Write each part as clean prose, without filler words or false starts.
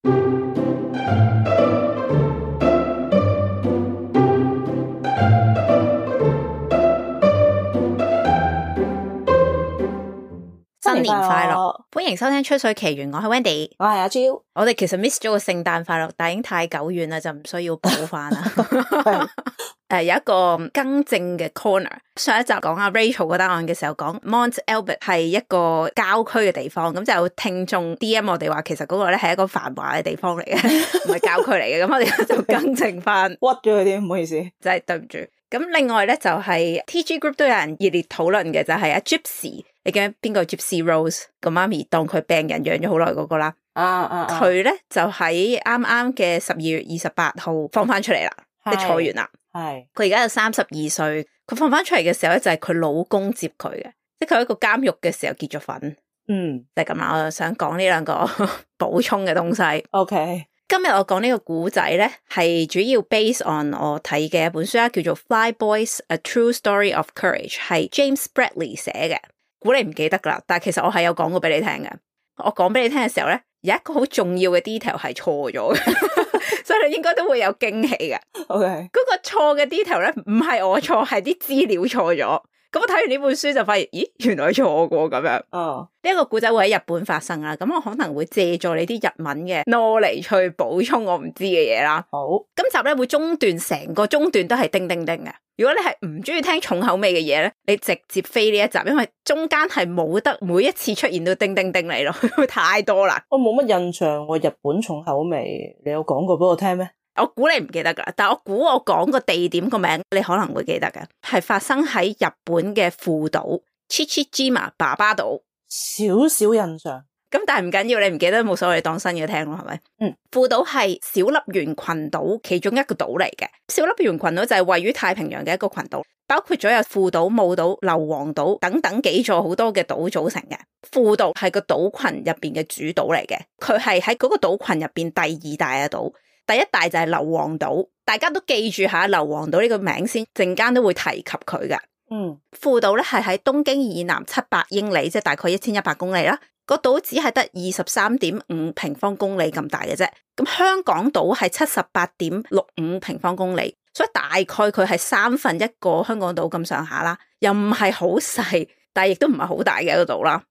新年快樂！歡迎收聽《吹水奇緣》，我係 Wendy， 我係阿 Jill。我哋其實 miss 咗個聖誕快樂，但已經太久遠啦，就唔需要補翻啦。有一個更正嘅 corner。上一集講阿 Rachel 嗰單案嘅時候，講 Mont Albert 係一個郊區嘅地方，咁就有聽眾 DM 我哋話，其實嗰個咧係一個繁華嘅地方嚟嘅，唔係郊區嚟嘅。咁我哋就更正翻，屈咗佢啲，唔好意思，真係對唔住。咁另外咧就係 TG Group 都有人熱烈討論嘅，就係阿 Gypsy。你記得邊個 Gypsy Rose 個媽咪當佢病人養咗好耐嗰個啦？佢咧就喺啱啱嘅12月28號放翻出嚟啦，即係坐完啦。係佢而家有32歲，佢放翻出嚟嘅時候咧就係佢老公接佢嘅，即係佢喺個監獄嘅時候結咗婚。就係咁啦。我就想講呢兩個補充嘅東西。OK， 今日我講呢個故仔咧係主要 based on 我睇嘅一本書啦，叫做 Fly Boys: A True Story of Courage， 係 James Bradley 寫嘅。估你唔記得噶啦，但係其實我係有講過俾你聽嘅。我講俾你聽嘅時候咧，有一個好重要嘅 detail 係錯咗嘅，所以你應該都會有驚喜嘅。OK， 嗰個錯嘅 detail 咧，唔係我錯，係啲資料錯咗。咁我睇完呢本書就發現，咦，原來錯過咁樣。呢一個故仔會喺日本發生啦，咁我可能會借助你啲日文嘅 knowledge 去補充我唔知嘅嘢啦。好，今集咧會中段，成個中段都係叮叮叮嘅。如果你係唔中意聽重口味嘅嘢咧，你直接飛呢一集，因為中間係冇得每一次出現到叮叮叮嚟咯，太多啦。我冇乜印象喎，日本重口味，你有講過俾我聽咩？我估你唔記得噶，但我估我講個地點個名，你可能會記得嘅，係發生喺日本嘅父島 Chichijima 爸爸島。少少印象。咁但係唔緊要，你唔記得冇所謂，當新嘅聽咯，係咪？父島係小笠原群島其中一個島嚟嘅。小笠原群島就係位於太平洋嘅一個群島，包括咗有父島、母島、硫磺島等等幾座好多嘅島組成嘅。父島係個島群入邊嘅主島嚟嘅，佢係喺嗰個島群入邊第二大嘅島，第一大就係硫磺島。大家都記住下硫磺島呢個名先，陣間都會提及佢嘅。父島咧係喺東京以南700英里，即係大概1100公里啦。個島只係得23.5平方公里咁大嘅啫，咁香港島係78.65平方公里，所以大概佢係1/3個香港島咁上下啦，又唔係好細，但係亦都唔係好大嘅一個島啦。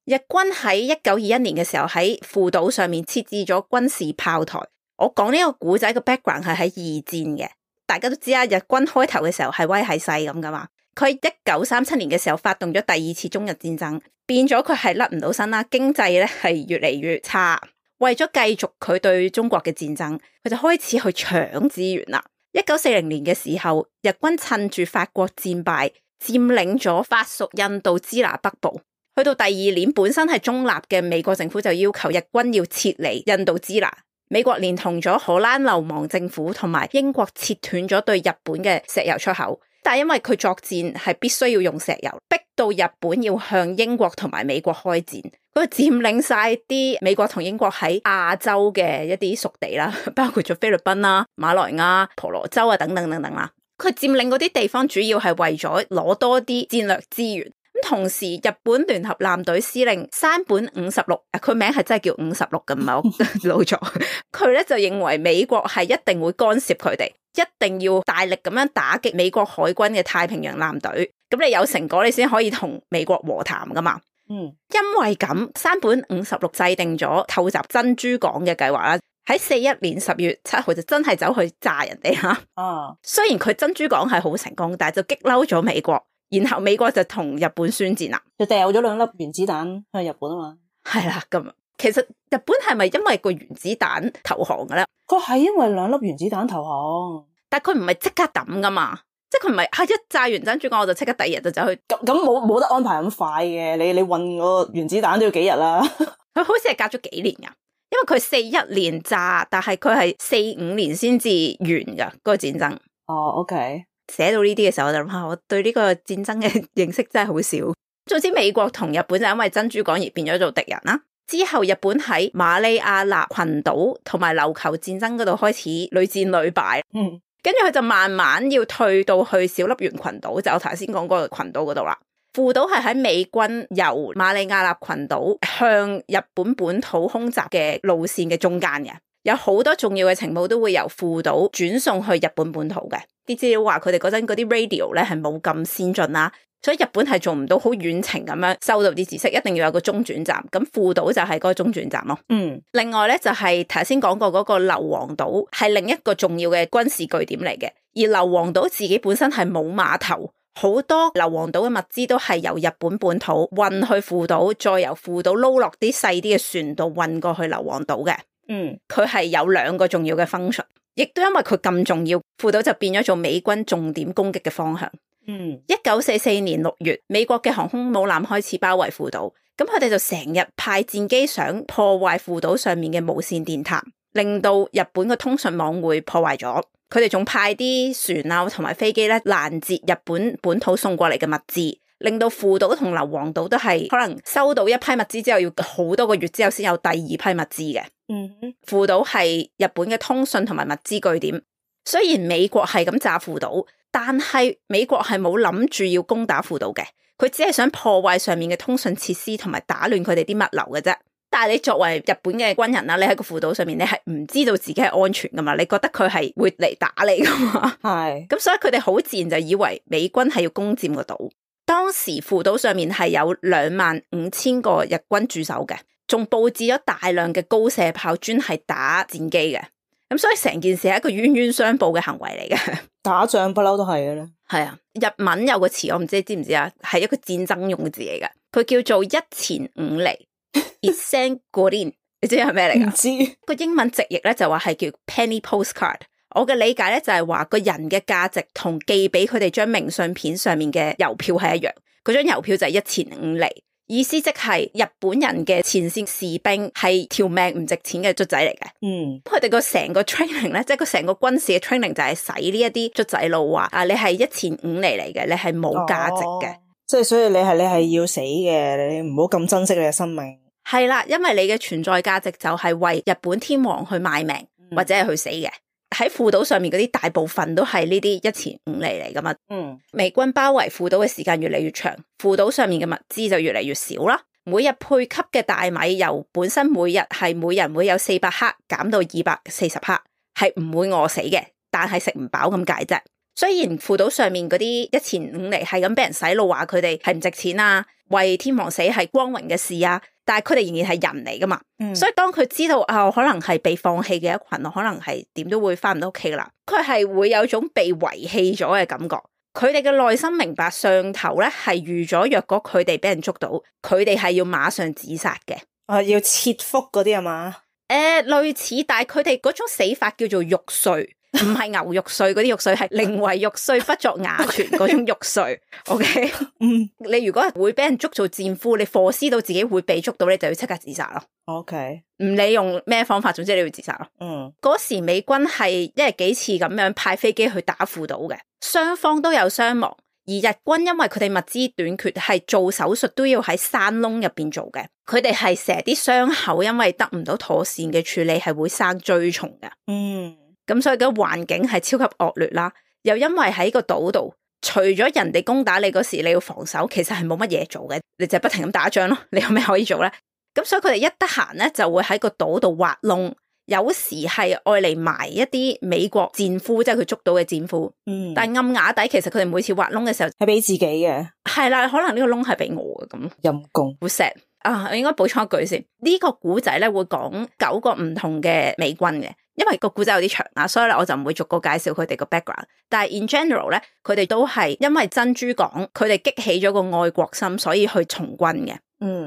日軍喺1921年嘅時候喺父島上面設置咗軍事炮台。我講呢個古仔嘅 background 係喺二戰嘅，大家都知啊，日軍開頭嘅時候係威係勢咁噶嘛。佢1937年嘅時候發動咗第二次中日戰爭，變咗佢係甩唔到身啦，經濟咧係越嚟越差。為咗繼續佢對中國嘅戰爭，佢就開始去搶資源啦。1940年嘅時候，日軍趁住法國戰敗，佔領咗法屬印度支那北部。去到第二年，本身係中立嘅美國政府就要求日軍要撤離印度支那。美國連同咗荷蘭流亡政府同埋英國切斷咗對日本嘅石油出口。但係因為佢作戰係必須要用石油，逼到日本要向英國同埋美國開戰，佢佔領晒啲美國同英國喺亞洲嘅一啲屬地啦，包括咗菲律賓啦、馬來亞、婆羅洲啊等等等等啦。佢佔領嗰啲地方主要係為咗攞多啲戰略資源。咁同時，日本聯合艦隊司令山本56，佢名係真係叫56嘅，唔係我老咗。佢咧就認為美國係一定會干涉佢哋。一定要大力咁樣打擊美國海軍嘅太平洋艦隊，咁你有成果你先可以同美國和談噶嘛。因為咁，山本56制定咗偷襲珍珠港嘅計劃啦。喺41年10月7號就真係走去炸人哋啦。雖然佢珍珠港係好成功，但係就激嬲咗美國，然後美國就同日本宣戰啦，就掉咗2粒原子彈去日本啊嘛。係啦，咁其實日本係咪因為個原子彈投降嘅咧？佢係因為2粒原子彈投降，但係佢唔係即刻抌噶嘛，即係佢唔係一炸完珍珠港我就即刻第二日就走去。咁冇得安排咁快嘅，你運個原子彈都要幾日啦。佢好似係隔咗幾年噶，因為佢41年炸，但係佢係45年先至完噶嗰個戰爭。OK。寫到呢啲嘅時候，我就諗下，我對呢個戰爭嘅認識真係好少。總之美國同日本就因為珍珠港而變咗做敵人啦。之後日本喺馬里亞納群島同埋琉球戰爭嗰度開始屢戰屢敗，跟住佢就慢慢要退到去小笠原群島，就我頭先講嗰個群島嗰度啦。父島係喺美軍由馬里亞納群島向日本本土空襲嘅路線嘅中間嘅，有好多重要嘅情報都會由父島轉送去日本本土嘅。啲資料話佢哋嗰陣嗰啲 radio 咧係冇咁先進啦，所以日本係做唔到好遠程咁樣收到啲知識，一定要有個中轉站。咁父島就係嗰個中轉站咯。另外咧就係頭先講過嗰個硫磺島係另一個重要嘅軍事據點嚟嘅，而硫磺島自己本身係冇碼頭。好多硫磺島嘅物資都係由日本本土運去父島，再由父島撈落啲細啲嘅船度運過去硫磺島嘅。佢係有兩個重要嘅 function， 亦都因為佢咁重要，父島就變咗做美軍重點攻擊嘅方向。1944年6月，美國嘅航空母艦開始包圍父島，咁佢哋就成日派戰機想破壞父島上面嘅無線電塔，令到日本嘅通訊網會破壞咗。佢哋仲派啲船啊同埋飛機咧攔截日本本土送過嚟嘅物資，令到父島同硫磺島都係可能收到一批物資之後要好多個月之後先有第二批物資嘅。父島係日本嘅通訊同埋物資據點。雖然美國係咁炸父島，但係美國係冇諗住要攻打父島嘅，佢只係想破壞上面嘅通訊設施同埋打亂佢哋啲物流嘅啫。但係你作為日本嘅軍人啦，你喺個父島上面，你係唔知道自己係安全噶嘛？你覺得佢係會嚟打你噶嘛？係。咁所以佢哋好自然就以為美軍係要攻佔個島。當時父島上面係有25,000個日軍駐守嘅，仲佈置咗大量嘅高射炮專係打戰機嘅。咁所以成件事係一個冤冤相報嘅行為嚟嘅。打仗不嬲都係嘅咧。係啊，日文有個詞我唔知你知唔知啊？係一個戰爭用嘅字嚟嘅，佢叫做一錢五厘。1,500 你知係咩嚟噶？唔知。個英文直譯咧就話係叫 penny postcard。我嘅理解咧就係話個人嘅價值同寄俾佢哋張明信片上面嘅郵票係一樣。嗰張郵票就係1,500厘，意思即係日本人嘅前線士兵係條命唔值錢嘅卒仔嚟嘅。佢哋個成個 training 咧，即係個成個軍事嘅 training 就係洗呢一啲卒仔路話啊，你係1,500厘嚟嘅，你係冇價值嘅。即係所以你係要死嘅，你唔好咁珍惜你嘅生命。係啦，因為你嘅存在價值就係為日本天皇去賣命，或者係去死嘅。喺父島上面嗰啲大部分都係呢啲1,500厘嚟噶嘛。美軍包圍父島嘅時間越嚟越長，父島上面嘅物資就越嚟越少啦。每日配給嘅大米由本身每日係每人會有400克減到240克，係唔會餓死嘅，但係食唔飽咁解啫。雖然父島上面嗰啲1,500厘係咁俾人洗腦話佢哋係唔值錢啊，為天皇死係光榮嘅事啊，但係佢哋仍然係人嚟噶嘛。所以當佢知道可能係被放棄嘅一群，可能係點都會翻唔到屋企噶啦，佢係會有種被遺棄咗嘅感覺。佢哋嘅內心明白上頭咧係預咗，若果佢哋俾人捉到，佢哋係要馬上自殺嘅。要切腹嗰啲啊嘛？類似，但係佢哋嗰種死法叫做玉碎。唔係牛肉碎嗰啲肉碎，係寧為玉碎不作瓦全嗰種肉碎。OK， 你如果會俾人捉做戰俘，你 foresee 到自己會被捉到，你就要即刻自殺咯。OK， 唔理用咩方法，總之你要自殺咯。嗰時美軍係一日幾次咁樣派飛機去打父島嘅，雙方都有傷亡。而日軍因為佢哋物資短缺，係做手術都要喺山窿入邊做嘅。佢哋係成日啲傷口因為得唔到妥善嘅處理，係會生蛆蟲嘅。咁所以個環境係超級惡劣啦，又因為喺個島度，除咗人哋攻打你嗰時你要防守，其實係冇乜嘢做嘅，你就不停咁打仗咯。你有咩可以做咧？咁所以佢哋一得閒咧就會喺個島度挖窿，有時係愛嚟埋一啲美國戰俘，即係佢捉到嘅戰俘。但係暗瓦底其實佢哋每次挖窿嘅時候係俾自己嘅。係啦，可能呢個窿係俾我嘅咁。陰公，好 sad 啊！我應該補充一句先，呢個古仔咧會講9個唔同嘅美軍嘅。因為個故仔有啲長啦，所以咧我就唔會逐個介紹佢哋個 background。但係 in general 咧，佢哋都係因為珍珠港，佢哋激起咗個愛國心，所以去從軍嘅。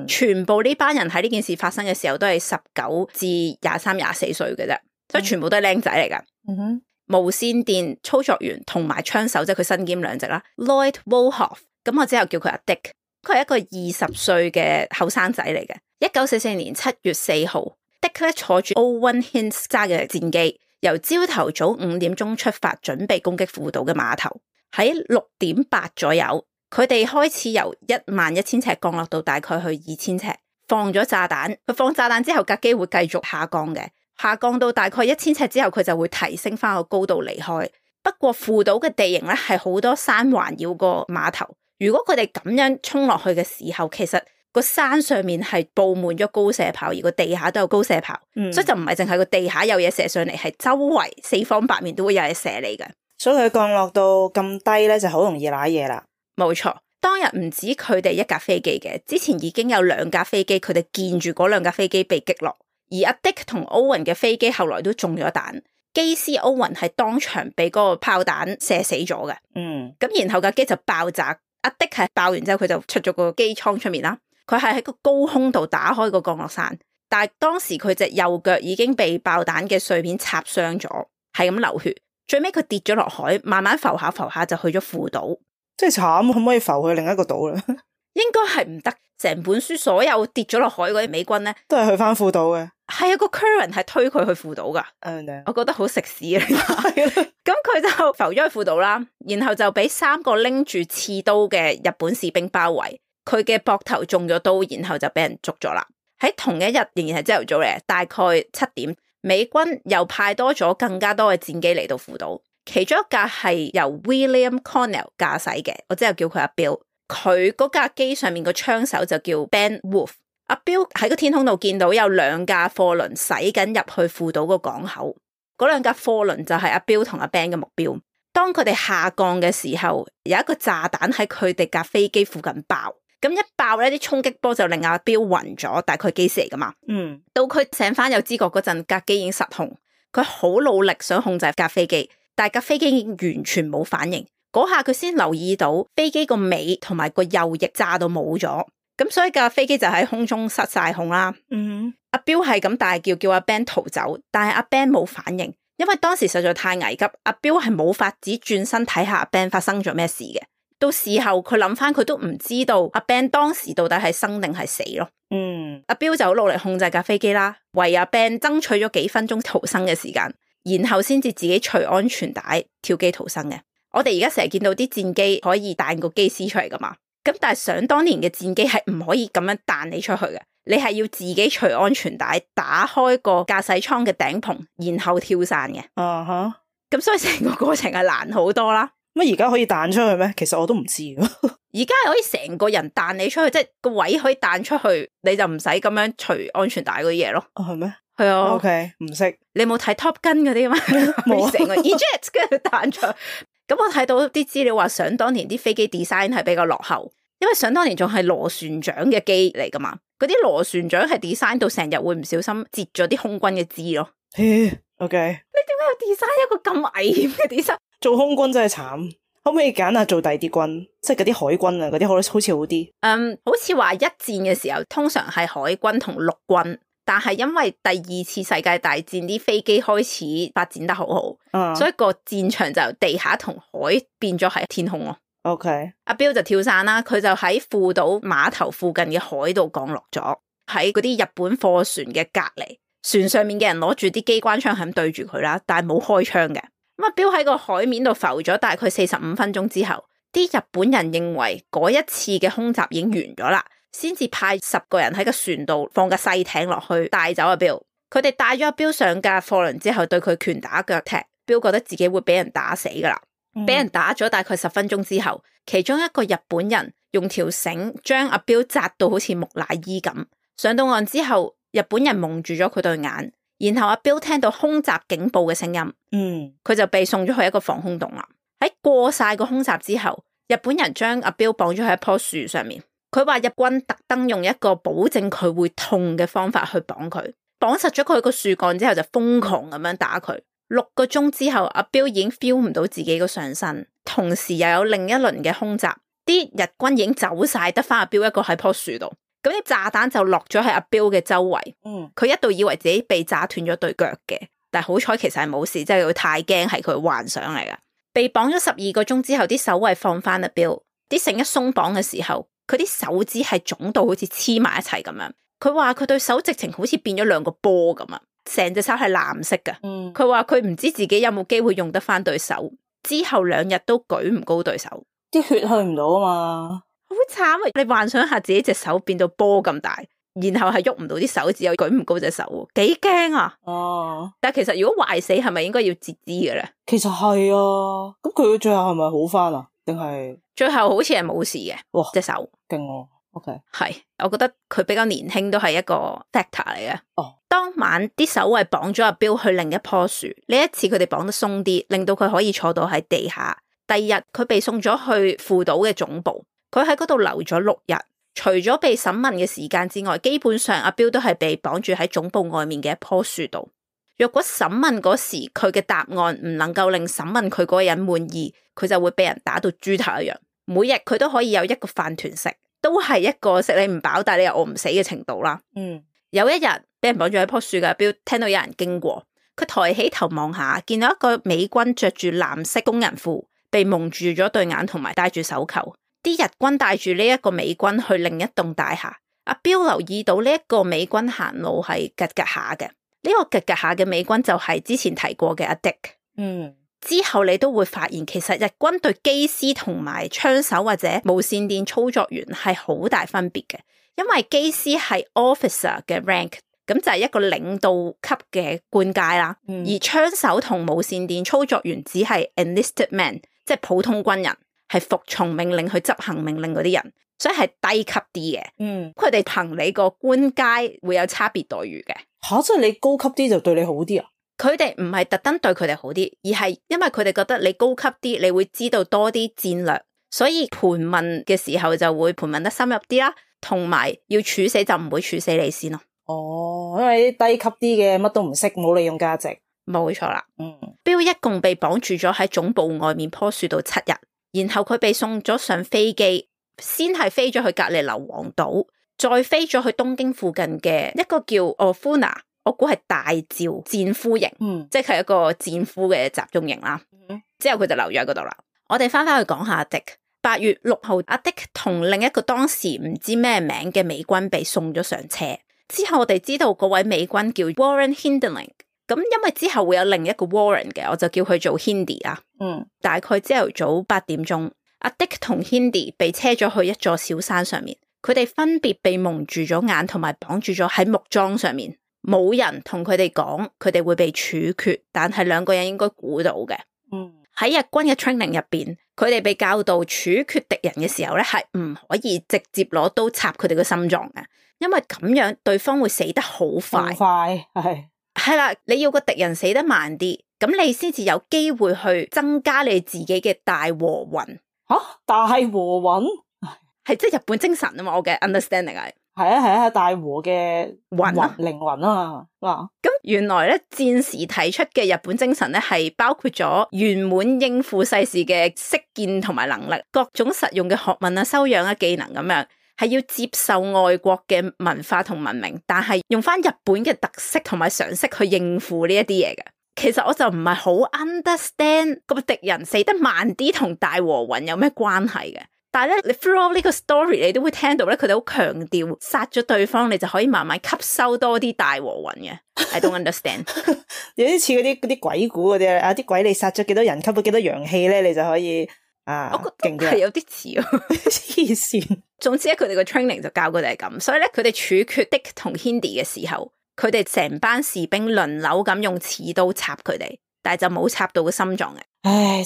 全部呢班人喺呢件事發生嘅時候都係19至23、24歲嘅啫，所以全部都係靚仔嚟噶。無線電操作員同埋槍手，即係佢身兼兩職啦。Lloyd Wolhoff， 咁我之後叫佢阿 Dick， 佢係一個20歲嘅後生仔嚟嘅。1944年7月4號。Dick 咧坐住 Owen Hintz 揸嘅戰機，由朝頭早5點鐘出發，準備攻擊父島嘅碼頭。喺6點8左右，佢哋開始由11,000尺降落到大概去2,000尺，放咗炸彈。佢放炸彈之後，架機會繼續下降嘅，下降到大概1,000尺之後，佢就會提升翻個高度離開。不過父島嘅地形咧係好多山環繞個碼頭，如果佢哋咁樣衝落去嘅時候，其實個山上面係佈滿咗高射炮，而個地下都有高射炮，所以就唔係淨係個地下有嘢射上嚟，係周圍四方八面都會有嘢射你嘅。所以佢降落到咁低咧，就好容易瀨嘢啦。冇錯，當日唔止佢哋一架飛機嘅，之前已經有2架飛機，佢哋見住嗰2架飛機被擊落，而阿 Dick 同 Owen 嘅飛機後來都中咗彈，機師 Owen 係當場被嗰個炮彈射死咗嘅。咁然後架機就爆炸，阿 Dick 係爆完之後佢就出咗個機艙出面啦，佢係喺個高空度打開個降落傘，但係當時佢隻右腳已經被爆彈嘅碎片插傷咗，係咁流血。最尾佢跌咗落海，慢慢浮下浮下就去咗父島。真係慘，可唔可以浮去另一個島咧？應該係唔得。成本書所有跌咗落海嗰啲美軍咧，都係去翻父島嘅。係啊，個 current 係推佢去父島噶。我覺得好食屎啊！咁佢就浮咗去父島啦，然後就俾3個拎住刺刀嘅日本士兵包圍，佢嘅膊頭中咗刀，然後就俾人捉咗啦。喺同一日，仍然係朝頭早嚟，大概7點。美軍又派多咗更加多嘅戰機嚟到父島，其中一架係由 William Connell 駕駛嘅，我之後叫佢阿 Bill。佢嗰架機上面個槍手就叫 Ben Wolf。阿 Bill 喺個天空度見到有2架貨輪駛緊入去父島個港口，嗰2架貨輪就係阿 Bill 同阿 Ben 嘅目標。當佢哋下降嘅時候，有一個炸彈喺佢哋架飛機附近爆。咁一爆咧，啲衝擊波就令阿 Bill 暈咗，大概機師嚟噶嘛。到佢醒翻有知覺嗰陣，架機已經失控，佢好努力想控制架飛機，但係架飛機已經完全冇反應。嗰下佢先留意到飛機個尾同埋個右翼炸到冇咗，咁所以架飛機就喺空中失晒控啦。阿 Bill 係咁大叫叫阿 Ben 逃走，但係阿 Ben 冇反應，因為當時實在太危急，阿 Bill 係冇法子轉身睇下阿 Ben 發生咗咩事嘅。到事後佢諗翻，佢都唔知道阿 Ben 當時到底係生定係死咯。阿 Bill 就好努力控制架飛機啦，為阿 Ben 爭取咗幾分鐘逃生嘅時間，然後先至自己除安全帶跳機逃生嘅。我哋而家成日見到啲戰機可以彈個機師出嚟噶嘛，咁但係想當年嘅戰機係唔可以咁樣彈你出去嘅，你係要自己除安全帶，打開個駕駛艙嘅頂棚，然後跳傘嘅。咁所以成個過程係難好多啦。乜而家可以彈出去咩？其實我都唔知。而家係可以成個人彈你出去，即係個位可以彈出去，你就唔使咁樣除安全帶嗰啲嘢咯。係咩？係啊。OK， 唔識。你冇睇 Top Gun 嗰啲嘛？冇成個 eject 跟住彈出。咁我睇到啲資料話，想當年啲飛機 design 係比較落後，因為想當年仲係螺旋槳嘅機嚟噶嘛。嗰啲螺旋槳係 design 到成日會唔小心截咗啲空軍嘅肢咯。OK。你點解要 design 一個咁危險嘅 design？做空軍真係慘，可唔可以揀下做第啲軍，即係嗰啲海軍啊，嗰啲好似好啲。好似話一戰嘅時候，通常係海軍同陸軍，但係因為第2次世界大戰啲飛機開始發展得好好，所以個戰場就由地下同海變咗喺天空咯。OK， 阿 Bill 就跳傘啦，佢就喺父島碼頭附近嘅海度降落咗，喺嗰啲日本貨船嘅隔籬，船上面嘅人攞住啲機關槍係咁對住佢啦，但係冇開槍嘅。咁阿 Bill 喺個海面度浮咗大概45分鐘之後，啲日本人認為嗰一次嘅空襲已經完咗啦，先至派10個人喺個船度放架細艇落去帶走阿 Bill。佢哋帶咗阿 Bill 上架貨輪之後，對佢拳打腳踢。Bill 覺得自己會俾人打死噶啦，俾人打咗大概10分鐘之後，其中一個日本人用條繩將阿 Bill 紮到好似木乃伊咁。上到岸之後，日本人蒙住咗佢對眼。然後阿 Bill 聽到空襲警報嘅聲音，佢就被送咗去一個防空洞啦。喺過晒個空襲之後，日本人將阿 Bill 綁咗喺一棵樹上面。佢話日軍特登用一個保證佢會痛嘅方法去綁佢，綁實咗佢個樹幹之後就瘋狂咁樣打佢。6個鐘之後，阿 Bill 已經 feel 唔到自己個上身，同時又有另一輪嘅空襲，啲日軍已經走晒，得翻阿 Bill 一個喺棵樹度。咁啲炸彈就落咗喺阿 Bill 嘅周圍，佢一度以為自己被炸斷咗對腳嘅，但係好彩其實係冇事，即係佢太驚係佢幻想嚟㗎。被綁咗12個鐘之後，啲守衛放翻阿 Bill，啲繩一鬆綁嘅時候，佢啲手指係腫到好似黐埋一齊咁樣。佢話佢對手直情好似變咗2個波咁啊，成隻手係藍色㗎。佢話佢唔知自己有冇機會用得翻對手，之後2日都舉唔高對手，啲血去唔到啊嘛。好慘啊！你幻想下自己隻手變到波咁大，然後係喐唔到啲手指，又舉唔高隻手，幾驚啊！但係其實如果壞死係咪應該要截肢嘅咧？其實係啊，咁佢最後係咪好翻啊？定係最後好似係冇事嘅，哇隻手勁喎。OK，係，我覺得佢比較年輕都係一個 factor 嚟嘅。當晚啲守衛綁咗阿 Bill 去另一棵樹，呢一次佢哋綁得鬆啲，令到佢可以坐到喺地下。第二日佢被送咗去父島嘅總部，佢喺嗰度留咗6日。除咗被審問嘅時間之外，基本上阿 Bill 都係被綁住喺總部外面嘅一棵樹度。若果審問嗰時佢嘅答案唔能夠令審問佢嗰個人滿意，佢就會被人打到豬頭一樣。每日佢都可以有一個飯團食，都係一個食你唔飽但係你又餓唔死嘅程度啦。有一日俾人綁住喺棵樹嘅阿 Bill 聽到有人經過，佢抬起頭望下，見到一個美軍着住藍色工人褲，被蒙住咗對眼同埋戴住手扣。啲日軍帶住呢一個美軍去另一棟大廈，阿 Bill 留意到呢一個美軍行路係吉吉下嘅，呢個吉吉下嘅美軍就係之前提過嘅阿 Dick。之後你都會發現，其實日軍對機師同埋槍手或者無線電操作員係好大分別嘅，因為機師係 officer 嘅 rank， 咁就係一個領導級嘅官階啦，而槍手同無線電操作員只係 enlisted man， 即係普通軍人，係服從命令去執行命令嗰啲人，所以係低級啲嘅。佢哋憑你個官階會有差別待遇嘅。即係你高級啲就對你好啲啊？佢哋唔係特登對佢哋好啲，而係因為佢哋覺得你高級啲，你會知道多啲戰略，所以盤問嘅時候就會盤問得深入啲啦，同埋要處死就唔會處死你先咯。因為啲低級啲嘅乜都唔識，冇利用價值。冇錯啦。Bill 一共被綁住咗喺總部外面棵樹度7日，然後佢被送咗上飛機，先係飛咗去隔離硫磺島，再飛咗去東京附近嘅一個叫 Ofuna， 我估係大趙戰俘營，即係一個戰俘嘅集中營啦。之後佢就留咗喺嗰度啦。我哋翻去講下阿 Dick。8月6號，阿 Dick 同另一個當時唔知咩名嘅美軍被送咗上車。之後我哋知道嗰位美軍叫 Warren Hindling， 咁因為之後會有另一個 Warren 嘅，我就叫佢做 Hindi 啦。大概朝頭早8點鐘，阿 Dick 同 Hindi 被車咗去一座小山上面，佢哋分別被蒙住咗眼同埋綁住咗喺木樁上面，冇人同佢哋講佢哋會被處決，但係兩個人應該估到嘅。喺日軍嘅 training 入邊，佢哋被教導處決敵人嘅時候咧，係唔可以直接攞刀插佢哋嘅心臟嘅，因為咁樣對方會死得好快。係啦，你要個敵人死得慢啲，咁你先至有機會去增加你自己嘅大和魂。大和魂係即係日本精神啊嘛，我嘅 understanding 係啊，大和嘅魂靈魂啊嘛。咁原來咧，戰時提出嘅日本精神咧，係包括咗圓滿應付世事嘅識見同埋能力，各種實用嘅學問啊、修養啊、技能咁樣，係要接受外國嘅文化同文明，但係用翻日本嘅特色同埋常識去應付呢一啲嘢嘅。其實我就唔係好 understand 個敵人死得慢啲同大和魂有咩關係嘅。但係咧，你 through 呢個 story 你都會聽到咧，佢哋好強調殺咗對方，你就可以慢慢吸收多啲大和魂嘅。I don't understand。有啲似嗰啲鬼故嗰啲啊，啲鬼你殺咗幾多人，吸到幾多陽氣咧，你就可以我覺得係有啲似啊，黐線。總之咧，佢哋個 training 就教佢哋係咁，所以咧，佢哋處決 Dick 同 Hindi 嘅時候，佢哋成班士兵輪流咁用刺刀插佢哋，但係就冇插到個心臟嘅。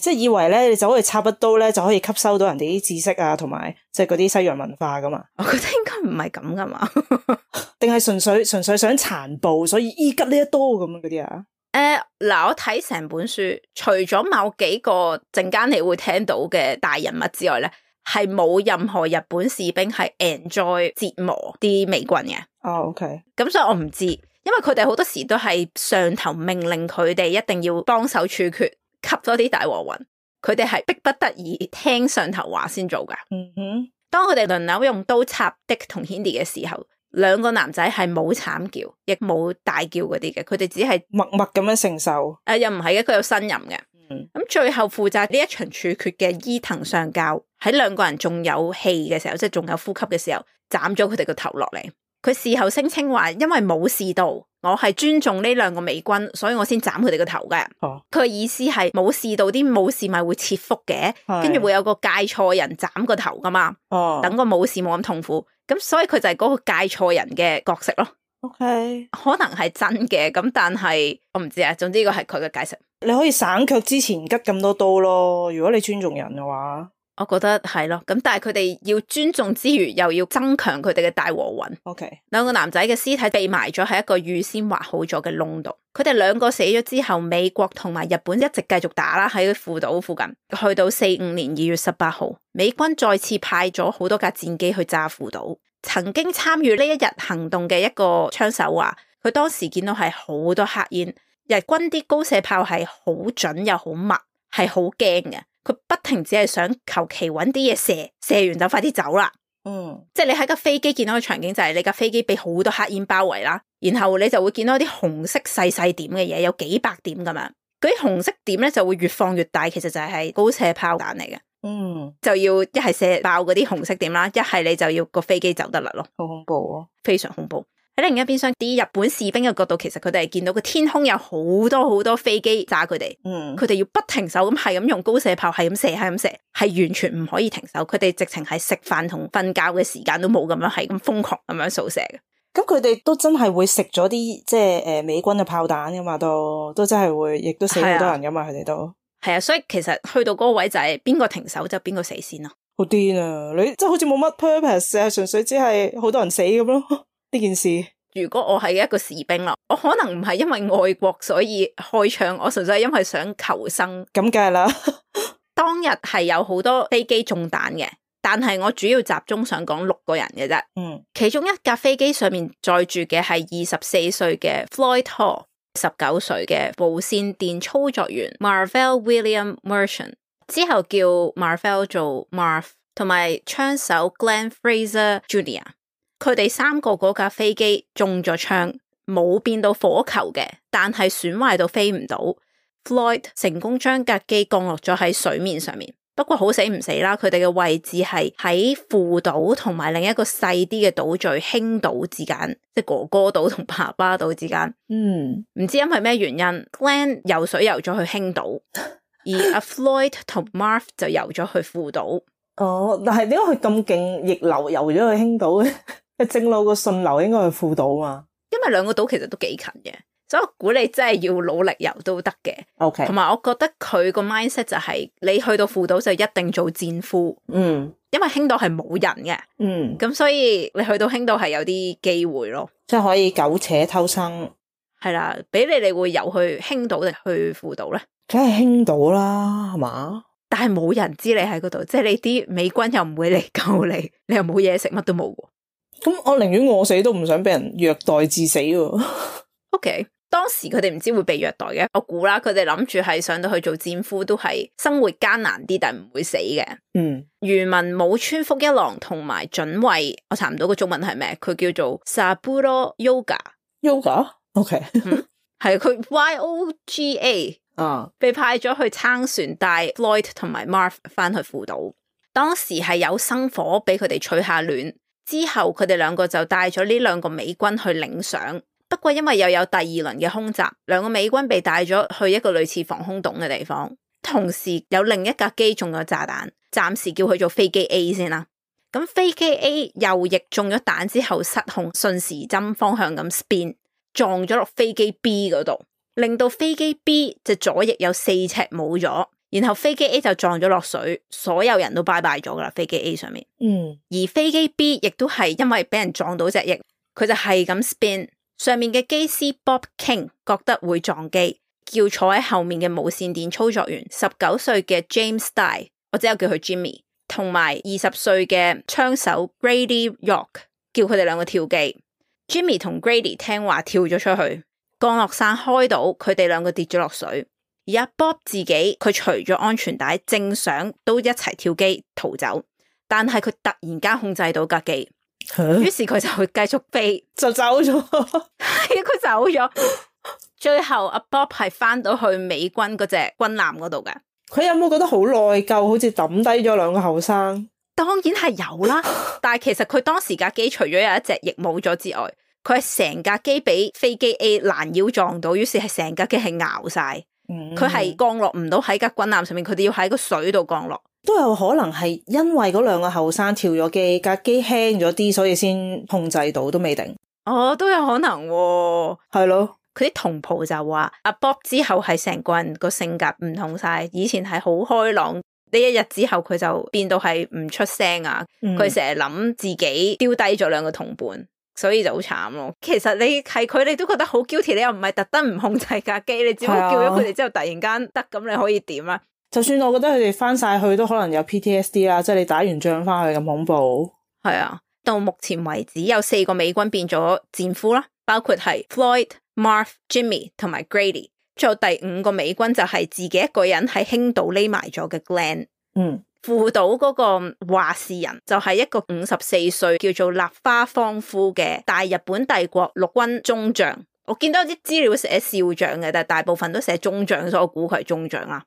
即係以為咧，你就可以插一刀咧，就可以吸收到人哋啲知識啊，同埋即係嗰啲西洋文化噶嘛。我覺得應該唔係咁噶嘛，定係純粹想殘暴，所以吉呢一刀咁樣嗰啲啊？嗱，我睇成本書，除咗某幾個陣間你會聽到嘅大人物之外咧，係冇任何日本士兵係 enjoy 折磨啲美軍嘅。OK。咁所以我唔知，因為佢哋好多時都係上頭命令佢哋一定要幫手處決。吸多啲大和魂，佢哋係逼不得已聽上頭話先做噶。當佢哋輪流用刀插 Dick 同 Hindi 嘅時候，兩個男仔係冇慘叫，亦冇大叫嗰啲嘅，佢哋只係默默咁樣承受。又唔係嘅，佢有呻吟嘅。咁最後負責呢一場處決嘅伊藤上校喺兩個人仲有氣嘅時候，即係仲有呼吸嘅時候，斬咗佢哋個頭落嚟。佢事後聲稱話，因為冇事到，我係尊重呢兩個美軍，所以我先斬佢哋個頭嘅。佢嘅意思係冇事到，啲武士咪會切腹嘅，跟住會有個戒錯人斬個頭噶嘛。等個武士冇咁痛苦，咁所以佢就係嗰個戒錯人嘅角色咯。OK，可能係真嘅，咁但係我唔知啊。總之呢個係佢嘅解釋。你可以省卻之前吉咁多刀咯，如果你尊重人嘅話。我覺得係咯，咁但係佢哋要尊重之餘，又要增強佢哋嘅大和魂。OK，兩個男仔嘅屍體被埋咗喺一個預先劃好咗嘅窿度。佢哋兩個死咗之後，美國同埋日本一直繼續打啦，喺父島附近。去到45年2月18號，美軍再次派咗好多架戰機去炸父島。曾經參與呢一日行動嘅一個槍手話，佢當時見到係好多黑煙，日軍啲高射炮係好準又好密，係好驚嘅。佢不停只係想求其揾啲嘢射，射完就快啲走啦。即係你喺架飛機見到嘅場景就係你架飛機俾好多黑煙包圍啦，然後你就會見到啲紅色細細點嘅嘢，有幾百點咁樣。嗰啲紅色點咧就會越放越大，其實就係高射炮彈嚟嘅。就要一係射爆嗰啲紅色點啦，一係你就要個飛機走得甩咯。好恐怖啊！非常恐怖。喺另一邊廂，啲日本士兵嘅角度，其實佢哋係見到個天空有好多好多飛機炸佢哋，佢哋要不停手咁係咁用高射炮係咁射，係咁射，係完全唔可以停手。佢哋直情係食飯同瞓覺嘅時間都冇咁樣，係咁瘋狂咁樣掃射嘅。咁佢哋都真係會食咗啲即係美軍嘅炮彈噶嘛，都真係會，亦都死好多人噶嘛，佢哋都係啊。所以其實去到嗰個位就係邊個停手就邊個死先咯。好癲啊！你即係好似冇乜 purpose，純粹只係好多人死咁咯。呢件事，如果我係一個士兵啦，我可能唔係因為愛國所以開槍，我純粹係因為想求生。咁梗係啦。當日係有好多飛機中彈嘅，但係我主要集中想講6個人嘅啫。其中一架飛機上面載住嘅係24歲嘅 Floyd Hall、19歲嘅無線電操作員 Marvell William Merchant， 之後叫 Marvell 做 Marv， 同埋槍手 Glenn Fraser Jr.佢哋3個嗰架飛機中咗槍，冇變到火球嘅，但係損壞到飛唔到。Floyd 成功將架機降落咗喺水面上面，不過好死唔死啦，佢哋嘅位置係喺父島同埋另一個細啲嘅島嶼興島之間，即係哥哥島同爸爸島之間。唔知因為咩原因 ，Glenn 游水游咗去興島，而阿 Floyd 同 Marv 就游咗去父島。但係點解佢咁勁逆流游咗去興島咧？正路個順流應該去父島嘛，因為兩個島其實都幾近嘅，所以我估你真係要努力游都得嘅。OK，同埋我覺得佢個 mindset 就係你去到父島就一定做戰俘。因為興島係冇人嘅。咁所以你去到興島係有啲機會咯，即係可以苟且偷生。係啦，俾你會游去興島定去父島咧？梗係興島啦，係嘛？但係冇人知你喺嗰度，即係你啲美軍又唔會嚟救你，你又冇嘢食，乜都冇。咁我寧願餓死都唔想俾人虐待致死喎。OK， 當時佢哋唔知會被虐待嘅，我估啦，佢哋諗住係上到去做戰俘都係生活艱難啲，但係唔會死嘅。漁民武村福一郎同埋准尉，我查唔到個中文係咩，佢叫做 Saburo Yoga。OK， 係佢 YOGA。被派咗去撐船帶 Floyd 同埋 Marv 翻去父島。當時係有生火俾佢哋取下暖。之後佢哋兩個就帶咗呢2個美軍去領賞，不過因為又有第2輪嘅空襲，2個美軍被帶咗去一個類似防空洞嘅地方，同時有另一架機中咗炸彈，暫時叫佢做飛機 A 先啦。咁飛機 A 右翼中咗彈之後失控，順時針方向咁 spin 撞咗落飛機 B 嗰度，令到飛機 B 隻左翼有4尺冇咗。然後飛機 A 就撞咗落水，所有人都拜拜咗噶啦。飛機 A 上面，而飛機 B 亦都係因為俾人撞到隻翼，佢就係咁 spin。上面嘅機師 Bob King 覺得會撞機，叫坐喺後面嘅無線電操作員19歲嘅 James Dye， 我只有叫佢 Jimmy， 同埋20歲嘅槍手 Grady York， 叫佢哋2個跳機。Jimmy 同 Grady 聽話跳咗出去，降落傘開到，佢哋2個跌咗落水。而阿 Bob 自己佢除咗安全帶，正想都一齊跳機逃走，但係佢突然間控制到架機，於是佢就會繼續飛，就走咗。係佢走咗。最後阿 Bob 係翻到去美軍嗰隻軍艦嗰度嘅。佢有冇覺得好內疚，好似抌低咗2個後生？當然係有啦，但係其實佢當時架機除咗有一隻翼冇咗之外，佢係成架機俾飛機 A 攔腰撞到，於是係成架機係咬晒。佢係降落唔到喺架軍艦上面，佢哋要喺個水度降落。都有可能係因為嗰2個後生跳咗機，架機輕咗啲，所以先控制到，都未定。都有可能喎。係咯。佢啲同袍就話阿 Bob 之後係成個人個性格唔同晒，以前係好開朗，呢一日之後佢就變到係唔出聲啊，佢成日諗自己丟低咗兩個同伴，所以就好慘咯。其實你係佢，你都覺得好 guilty， 你又唔係特登唔控制架機，你只不過叫咗佢哋之後突然間得，咁你可以點啊？就算我覺得佢哋翻晒去都可能有 PTSD 啦，即係你打完仗翻去咁恐怖。係啊，到目前為止有4個美軍變咗戰俘啦，包括係 Floyd、Marv、Jimmy 同埋 Grady。仲有第5個美軍就係自己一個人喺輕島匿埋咗嘅 Glenn。副島嗰個話事人就係一個54歲叫做立花芳夫嘅大日本帝國陸軍中將。我見到啲資料寫少將嘅，但係大部分都寫中將，所以我估佢係中將啦。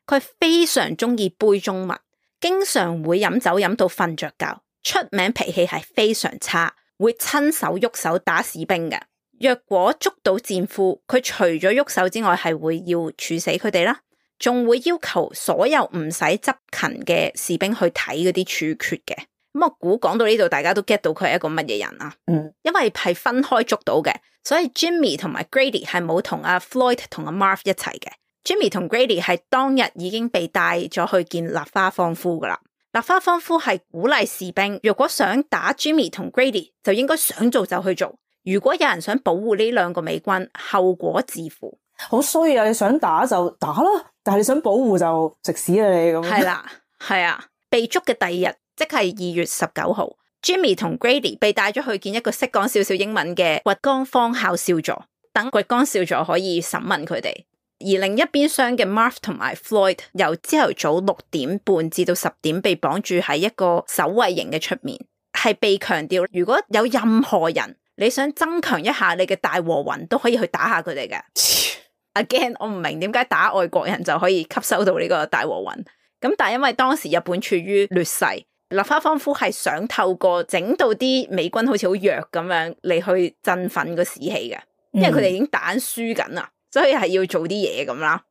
佢非常中意杯中物，經常會飲酒飲到瞓着覺，出名脾氣係非常差，會親手喐手打士兵嘅。若果捉到戰俘，佢除咗喐手之外，係會要處死佢哋啦，仲會要求所有唔使執勤嘅士兵去睇嗰啲處決嘅。咁我估講到呢度，大家都 get 到佢係一個乜嘢人啊？因為係分開捉到嘅，所以 Jimmy 同埋 Grady 係冇同阿 Floyd 同阿 Marv 一齊嘅。Jimmy 同 Grady 係當日已經被帶咗去見立花芳夫噶啦。立花芳夫係鼓勵士兵，如果想打 Jimmy 同 Grady， 就應該想做就去做。如果有人想保護呢2個美軍，後果自負。好衰啊！你想打就打啦，但係你想保護就食屎啦你咁。係啦，係啊。被捉嘅第2日，即係2月19號 ，Jimmy 同 Grady 被帶咗去見一個識講少少英文嘅掘江方校少佐，等掘江少佐可以審問佢哋。而另一邊廂嘅 Marv 同埋 Floyd 由朝頭早6點半至到10點被綁住喺一個守衛營嘅出面，係被強調如果有任何人你想增強一下你嘅大和魂，都可以去打下佢哋嘅。Again， 我唔明點解打外國人就可以吸收到呢個大和魂。咁但係因為當時日本處於劣勢，立花芳夫係想透過整到啲美軍好似好弱咁樣嚟去振奮個士氣嘅，因為佢哋已經打輸緊啦，所以係要做啲嘢咁啦。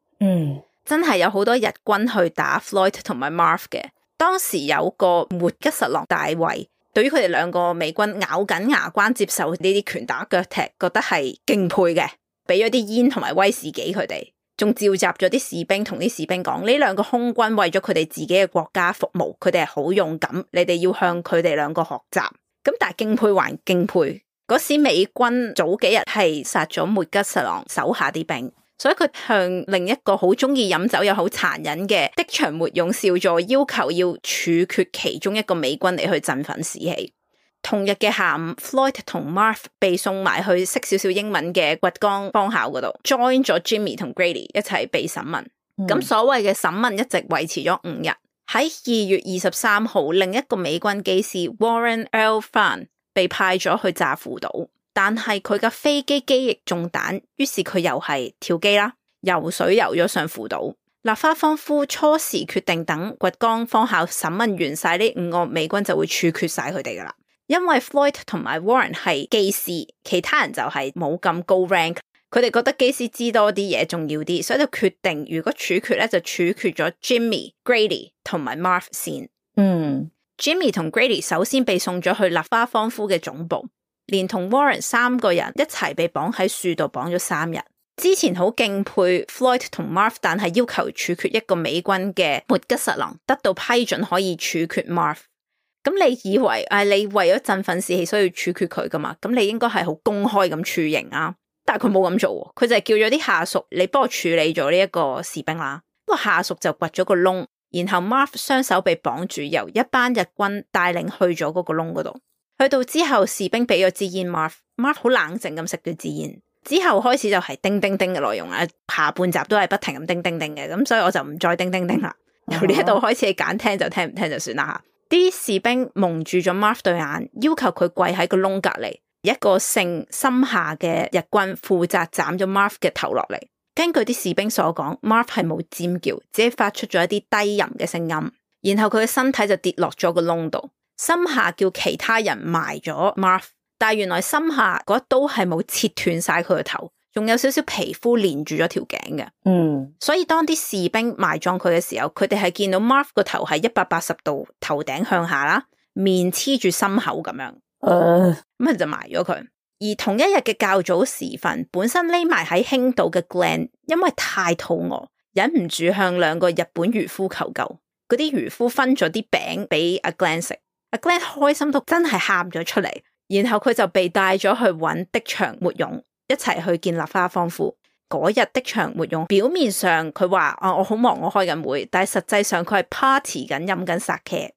真係有好多日軍去打 Floyd 同埋 Marv 嘅。當時有個末吉實郎大尉，對於佢哋2個美軍咬緊牙關接受呢啲拳打腳踢，覺得係敬佩嘅，俾咗啲煙同埋威士忌佢哋，仲召集咗啲士兵同啲士兵講，呢2個空軍為咗佢哋自己嘅國家服務，佢哋係好勇敢，你哋要向佢哋2個學習。咁但係敬佩還敬佩，嗰時美軍早幾日係殺咗末吉實郎手下啲兵，所以佢向另一個好中意飲酒又好殘忍嘅的場末勇少佐要求要處決其中一個美軍嚟去振奮士氣。同日嘅下午 ，Floyd 同 Marv 被送埋去識少少英文嘅掘江方校嗰度 ，join 咗 Jimmy 同 Grady 一齊被審問。咁所謂嘅審問一直維持咗5日。喺2月23號，另一個美軍機師 Warren L. Farn 被派咗去炸副島，但係佢嘅飛機機翼中彈，於是佢又係跳機啦，游水游咗上副島。立花芳夫初時決定等掘江方校審問完晒呢5個美軍就會處決晒佢哋噶啦。因為 Floyd 同埋 Warren 係機師，其他人就係冇咁高 rank， 佢哋覺得機師知多啲嘢重要啲，所以就決定如果處決咧就處決咗 Jimmy、Grady 同埋 Marv 先。Jimmy 同 Grady 首先被送咗去立花芳夫嘅總部，連同 Warren 3個人一齊被綁喺樹度綁咗3日。之前好敬佩 Floyd 同 Marv， 但係要求處決一個美軍嘅末吉實郎得到批准可以處決 Marv。咁你以為你為咗振奮士氣所以要處決佢噶嘛？咁你應該係好公開咁處刑啊，但係佢冇咁做，佢就係叫咗啲下屬你幫我處理咗呢一個士兵啦。個下屬就掘咗個窿，然後 Marv 雙手被綁住，由一班日軍帶領去咗嗰個窿嗰度。去到之後，士兵俾咗支煙 Marv 好冷靜咁食咗支煙，之後開始就係叮叮叮嘅內容啦。下半集都係不停咁叮叮叮嘅，咁所以我就唔再叮叮叮啦。由呢一度開始，你揀聽就聽，唔聽就算啦吓。啲士兵蒙住咗 Marv 對眼，要求佢跪喺個窿隔籬。一個姓森下嘅日軍負責斬咗 Marv 嘅頭落嚟。根據啲士兵所講 ，Marv 係冇尖叫，只係發出咗一啲低吟嘅聲音。然後佢嘅身體就跌落咗個窿度。森下叫其他人埋咗 Marv， 但係原來森下嗰一刀係冇切斷晒佢個頭，仲有少少皮膚連住咗條頸嘅。所以當啲士兵埋葬佢嘅時候，佢哋係見到 Marv 個頭係180度頭頂向下啦，面黐住心口咁樣，咁就埋咗佢。而同一日嘅較早時分，本身匿埋喺輕島嘅 Glenn 因為太肚餓，忍唔住向2個日本漁夫求救。嗰啲漁夫分咗啲餅俾阿 Glenn 食，阿 Glenn 開心到真係喊咗出嚟，然後佢就被帶咗去揾的場沒勇一齊去見立花芳夫。嗰日的場沒勇表面上佢話我好忙，我開緊會，但係實際上佢係 party 緊飲緊 sake。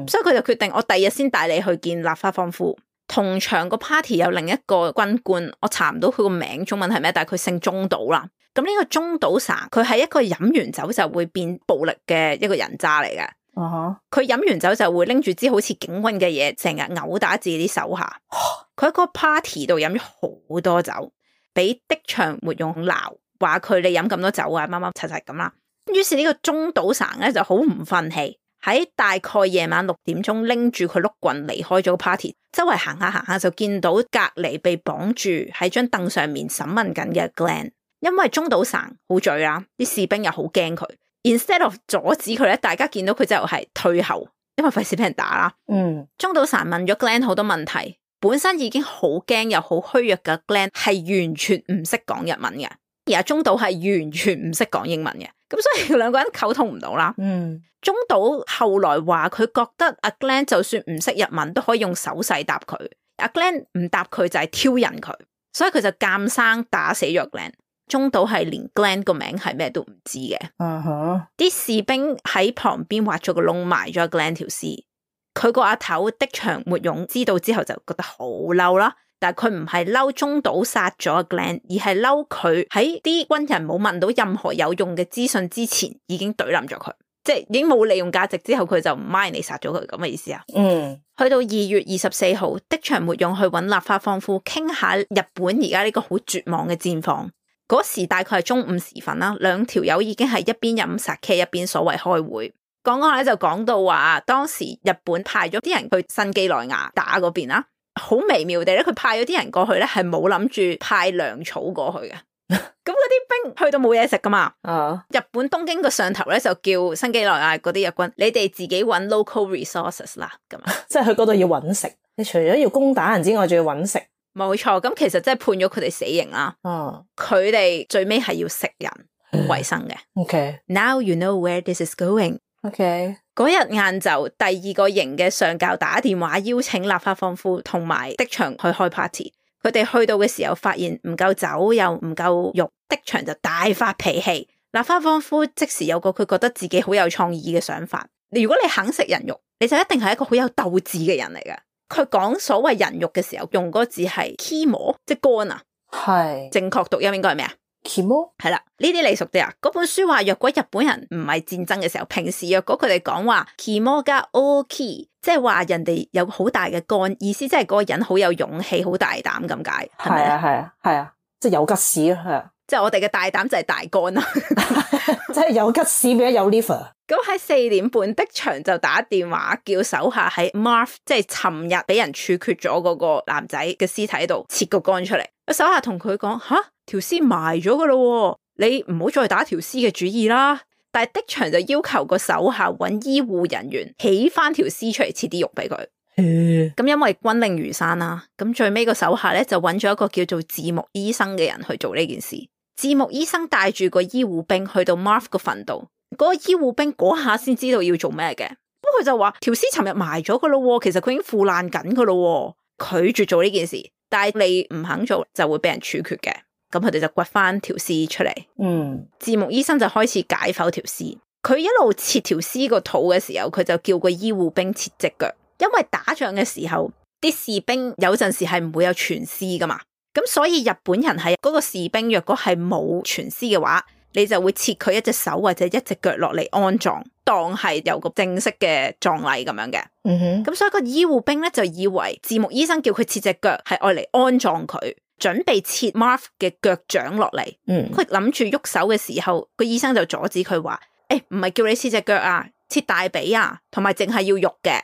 所以佢就決定我第二日先帶你去見立花芳夫。同場個 party 有另一個軍官，我查唔到佢個名中文係咩，但係佢姓中島啦。咁呢個中島神佢係一個飲完酒就會變暴力嘅一個人渣嚟嘅。佢飲完酒就會拎住支好似警棍嘅嘢，成日毆打自己啲手下。佢喺個 party 度飲咗好多酒，俾的場沒勇鬧，話佢你飲咁多酒啊，乜乜柒柒咁啦。於是呢個中島神咧就好唔忿氣，喺大概夜晚6點鐘拎住佢碌棍離開咗個 party， 周圍行下行下就見到隔離被綁住喺張凳上面審問緊嘅 Glenn。因為中島神好醉啦，啲士兵又好驚佢。Instead of 阻止佢咧，大家見到佢就係退後，因為費事俾人打啦。中島神問咗 Glenn 好多問題，本身已經好驚又好虛弱嘅 Glenn 係完全唔識講日文嘅，而阿中島係完全唔識講英文嘅，咁所以兩個人溝通唔到啦。中島後來話佢覺得阿 Glenn 就算唔識日文都可以用手勢答佢，阿 Glenn 唔答佢就係挑釁佢，所以佢就監生打死咗 Glenn。中島係連 Glenn 個名係咩都唔知嘅。啲士兵喺旁邊挖咗個窿埋咗 Glenn 條屍。佢個阿頭的場沒勇知道之後就覺得好嬲啦，但係佢唔係嬲中島殺咗 Glenn， 而係嬲佢喺啲軍人冇問到任何有用嘅資訊之前已經懟冧咗佢，即係已經冇利用價值之後佢就唔 mind 你殺咗佢咁嘅意思啊。去到2月24號，的場沒勇去揾立花芳夫傾下日本而家呢個好絕望嘅戰況。嗰時大概係中午時分啦，兩條友已經係一邊飲 sake 一邊所謂開會。講講下咧就講到話，當時日本派咗啲人去新畿內亞打嗰邊啦，好微妙地咧，佢派咗啲人過去咧係冇諗住派糧草過去嘅。咁嗰啲兵去到冇嘢食噶嘛，日本東京個上頭咧就叫新畿內亞嗰啲日軍，你哋自己搵 local resources 啦，咁即係去嗰度要搵食，你除咗要攻打人之外，仲要搵食。冇錯，咁其實即係判咗佢哋死刑啦。佢哋最尾係要食人為生嘅。Now you know where this is going。嗰日晏晝，第二個營嘅上校打電話邀請立花芳夫同埋的場去開 party。佢哋去到嘅時候，發現唔夠酒又唔夠肉，的場就大發脾氣。立花芳夫即時有個佢覺得自己好有創意嘅想法。如果你肯食人肉，你就一定係一個好有鬥志嘅人嚟嘅。佢講所謂人肉嘅時候，用嗰個字係 kimo， 即係肝啊。係正確讀音應該係咩啊 ？kimo 係啦，呢啲你熟啲啊。嗰本書話，若果日本人唔係戰爭嘅時候，平時若果佢哋講話 kimo ga oki， 即係話人哋有好大嘅肝，意思即係嗰個人好有勇氣、好大膽咁解。係啊，即係有吉屎咯，係啊。即係我哋嘅大膽就係大肝啦，即係有吉屎變咗有 liver。咁喺4點半，的場就打電話叫手下喺 Marv， 即係尋日俾人處決咗嗰個男仔嘅屍體度切個肝出嚟。手下同佢講：吓，條屍埋咗噶啦，你唔好再打條屍嘅主意啦。但係的場就要求個手下揾醫護人員起翻條屍出嚟，切啲肉俾佢。咁因為軍令如山啦，咁最尾個手下咧就揾咗一個叫做字幕醫生嘅人去做呢件事。字幕醫生帶住個醫護兵去到 Marv 個墳度，嗰個醫護兵嗰下先知道要做咩嘅。咁佢就話條屍尋日埋咗噶咯，其實佢已經腐爛緊噶咯，拒絕做呢件事。但係你唔肯做就會俾人處決嘅。咁佢哋就掘翻條屍出嚟。字幕醫生就開始解剖條屍。佢一路切條屍個肚嘅時候，佢就叫個醫護兵切隻腳，因為打仗嘅時候啲士兵有陣時係唔會有全屍噶嘛。咁所以日本人係嗰個士兵若果係冇全屍嘅話，你就會切佢一隻手或者一隻腳落嚟安葬，當係有個正式嘅葬禮咁樣嘅。咁所以個醫護兵咧就以為字幕醫生叫佢切隻腳係愛嚟安葬佢，準備切 Marv 嘅腳掌落嚟。佢諗住喐手嘅時候，個醫生就阻止佢話：唔係叫你切隻腳啊，切大髀啊，同埋淨係要肉嘅。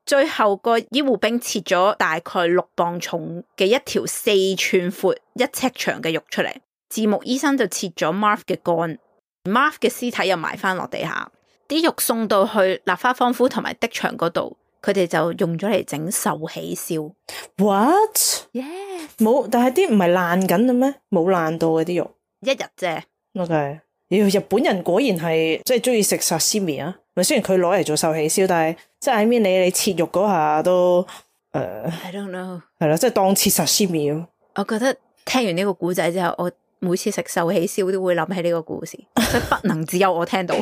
最後個醫護兵切咗大概6磅重嘅一條4寸闊1尺長嘅肉出嚟，字幕醫生就切咗 Marv 嘅肝 ，Marv 嘅屍體又埋翻落地下，啲肉送到去立花芳夫同埋的場嗰度，佢哋就用咗嚟整壽喜燒。What？ Yes。冇，但係啲唔係爛緊嘅咩？冇爛到嘅啲肉，一日啫。OK。日本人果然係即係中意食 sashimi 啊，咪雖然佢攞嚟做壽喜燒，但係即係I mean你切肉嗰下都I don't know 係啦，即係當切sashimi咁。我覺得聽完呢個故仔之後，我每次食壽喜燒都會諗起呢個故事，所以不能只有我聽到，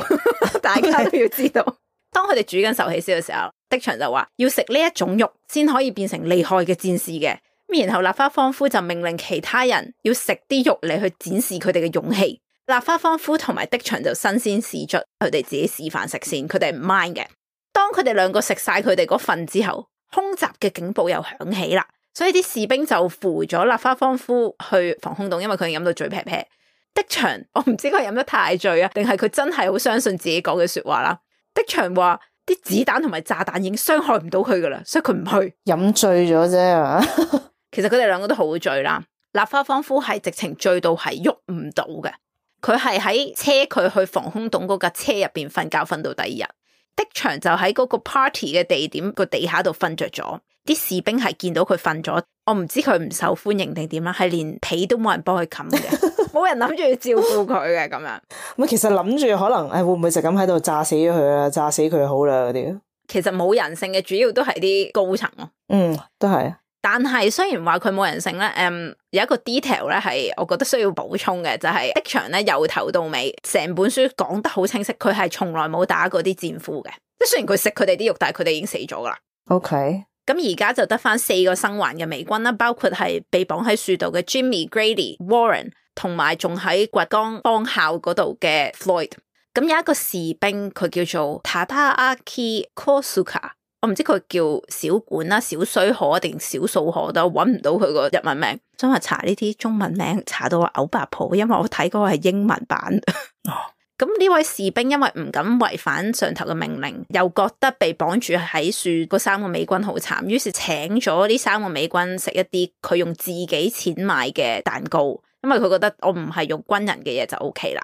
大家都要知道。當佢哋煮緊壽喜燒嘅時候，的場就話要食呢一種肉先可以變成厲害嘅戰士嘅。然後立花芳夫就命令其他人要食啲肉嚟去展示佢哋嘅勇氣。立花芳夫同埋的場就新鮮試出，佢哋自己示範食先，佢哋唔 mind 嘅。當佢哋兩個食晒佢哋嗰份之後，空襲嘅警報又響起啦，所以啲士兵就扶咗立花芳夫去防空洞，因為佢飲到醉劈劈。的場我唔知佢飲得太醉啊，定係佢真係好相信自己講嘅說話啦。的場話啲子彈同埋炸彈已經傷害唔到佢噶啦，所以佢唔去。飲醉咗啫係嘛？其實佢哋兩個都好醉啦。立花芳夫係直情醉到係喐唔到嘅，佢係喺車佢去防空洞嗰架車入邊瞓覺，瞓到第二日。的場就喺嗰個 party 嘅地點個地下度瞓着咗，啲士兵係見到佢瞓咗，我唔知佢唔受歡迎定點啦，係連被都冇人幫佢冚嘅，冇人諗住要照顧佢嘅咁樣。咁其實諗住可能會唔會就咁喺度炸死咗佢啊？炸死佢好啦嗰啲。其實冇人性嘅，主要都係啲高層咯。都係。但係雖然話佢冇人性咧，有一個 detail 咧係我覺得需要補充嘅，就係的場咧由頭到尾成本書講得好清晰，佢係從來冇打過啲戰俘嘅。即係雖然佢食佢哋啲肉，但係佢哋已經死咗噶啦。OK。咁而家就得翻4個生還嘅美軍啦，包括係被綁喺樹度嘅 Jimmy、Grady、Warren， 同埋仲喺掘江方校嗰度嘅 Floyd。咁有一個士兵佢叫做 Tadaaki Kosuka， 我唔知佢叫小管啦、小須賀定小數賀，都搵唔到佢個日文名。想話查呢啲中文名查到我嘔白泡，因為我睇嗰個係英文版。咁呢位士兵因為唔敢違反上頭嘅命令，又覺得被綁住喺樹嗰3個美軍好慘，於是請咗呢3個美軍食一啲佢用自己錢買嘅蛋糕，因為佢覺得我唔係用軍人嘅嘢就 OK 啦。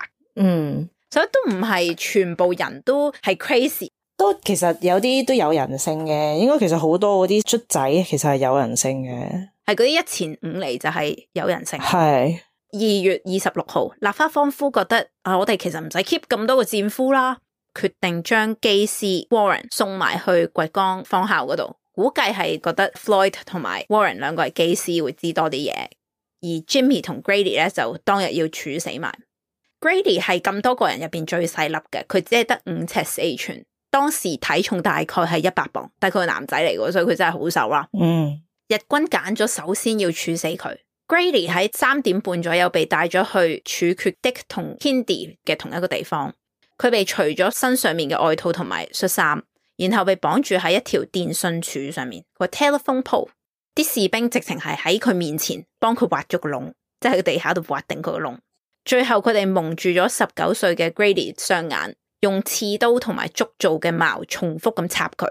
所以都唔係全部人都係 crazy， 都其實有啲都有人性嘅，應該其實好多嗰啲卒仔其實係有人性嘅，係嗰啲1前5嚟就係有人性。係。2月26號，立花芳夫覺得我哋其實唔使 keep 咁多個戰俘啦，決定將機師 Warren 送埋去掘江方校嗰度，估計係覺得 Floyd 同埋 Warren 兩個係機師會知多啲嘢，而 Jimmy 同 Grady 咧就當日要處死埋。Grady 係咁多個人入邊最細粒嘅，佢只係得5尺4寸，當時體重大概係100磅，但係佢係男仔嚟嘅，所以佢真係好瘦啦。日軍揀咗首先要處死佢。Grady 喺3點半左右被帶咗去處決 Dick 同 Kindy 嘅同一個地方，佢被除咗身上面嘅外套同埋恤衫，然後被綁住喺一條電訊柱上面個 telephone pole， 啲士兵直情係喺佢面前幫佢挖咗個窿，即係喺個地下度挖定佢個窿。最後佢哋蒙住咗19歲嘅 Grady 雙眼，用刺刀同埋竹做嘅矛重複咁插佢。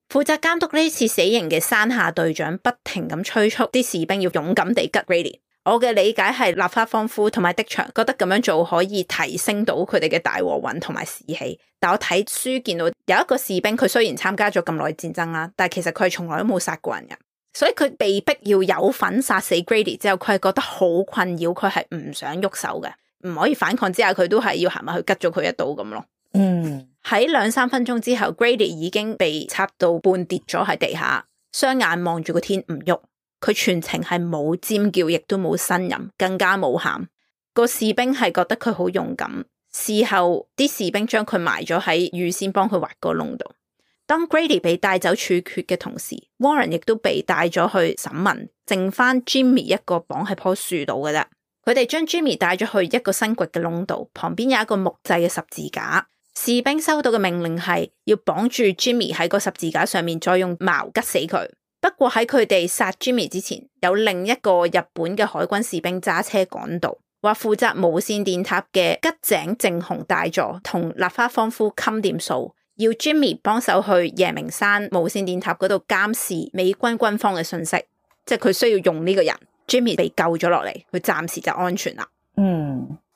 負責監督呢次死刑嘅山下隊長不停咁催促啲士兵要勇敢地吉 Grady。我嘅理解係立花芳夫同埋的場覺得咁樣做可以提升到佢哋嘅大和運同埋士氣。但我睇書見到有一個士兵，佢雖然參加咗咁耐戰爭啦，但係其實佢係從來都冇殺過人嘅，所以佢被逼要有份殺死 Grady 之後，佢係覺得好困擾，佢係唔想喐手嘅，唔可以反抗之下，佢都係要行埋去吉咗佢一刀咁咯。喺2-3分鐘之後 Grady 已經被插到半跌咗喺地下，雙眼望住個天唔喐，佢全程係冇尖叫，亦都冇呻吟，更加冇喊。個士兵係覺得佢好勇敢，事後啲士兵將佢埋咗喺預先幫佢挖個窿度。當 Grady 被帶走處決嘅同時， Warren 亦都被帶咗去審問，剩翻 Jimmy 一個綁喺棵樹度嘅啫。佢哋將 Jimmy 帶咗去一個新掘嘅窿度，旁邊有一個木製嘅十字架。士兵收到嘅命令係要綁住 Jimmy 喺個十字架上面，再用矛吉死佢。不過喺佢哋殺 Jimmy 之前，有另一個日本嘅海軍士兵揸車趕到，話負責無線電塔嘅吉井正雄大佐同立花芳夫冚掂數，要 Jimmy 幫手去夜明山無線電塔嗰度監視美軍軍方嘅信息，即係佢需要用呢個人。Jimmy 被救咗落嚟，佢暫時就安全啦。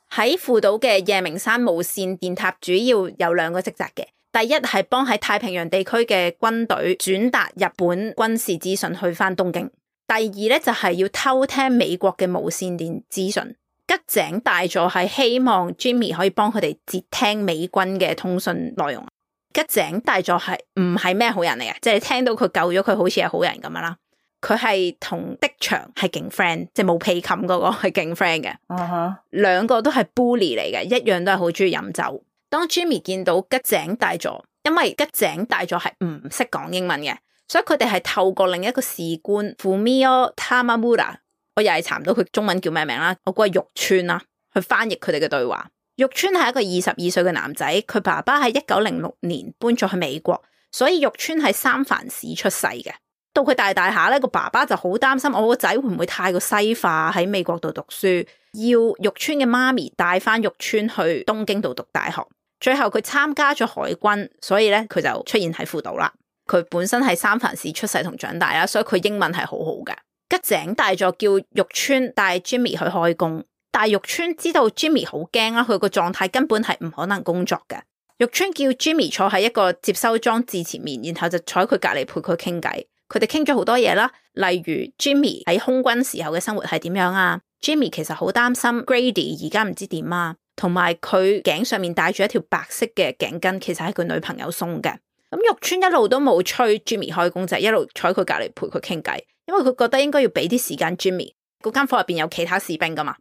喺父島嘅夜明山無線電塔主要有2個職責嘅，第一係幫喺太平洋地區嘅軍隊轉達日本軍事資訊去翻東京，第二咧就係要偷聽美國嘅無線電資訊。吉井大佐係希望 Jimmy 可以幫佢哋截聽美軍嘅通訊內容。吉井大佐係唔係咩好人嚟嘅，即係你聽到佢救咗佢好似係好人咁樣啦。佢係同的祥係勁 friend， 即係冇被冚嗰個係勁 friend 嘅。兩個都係 bully 嚟嘅，一樣都係好中意飲酒。當 Jimmy 見到吉井大佐，因為吉井大佐係唔識講英文嘅，所以佢哋係透過另一個士官 Fumio Tamamura， 我又係查唔到佢中文叫咩名啦，我估係玉川啦，去翻譯佢哋嘅對話。玉川係一個22歲嘅男仔，佢爸爸喺1906年搬咗去美國，所以玉川喺三藩市出世嘅。到佢大下咧，個爸爸就好擔心我個仔會唔會太過西化喺美國度讀書，要玉川嘅媽咪帶翻玉川去東京度讀大學。最後佢參加咗海軍，所以咧佢就出現喺富島啦。佢本身喺三藩市出世同長大啦，所以佢英文係好好嘅。吉井大佐叫玉川帶 Jimmy 去開工，但係玉川知道 Jimmy 好驚啦，佢個狀態根本係唔可能工作嘅。玉川叫 Jimmy 坐喺一個接收裝置前面，然後就坐喺佢隔籬陪佢傾偈。佢哋傾咗好多嘢啦，例如 Jimmy 喺空軍時候嘅生活係點樣啊 ？Jimmy 其實好擔心 Grady 而家唔知點啊，同埋佢頸上面戴住一條白色嘅頸巾，其實係佢女朋友送嘅。咁玉川一路都冇催 Jimmy 開工，就係一路坐喺佢隔籬陪佢傾偈，因為佢覺得應該要俾啲時間 Jimmy。嗰間房入邊有其他士兵噶嘛，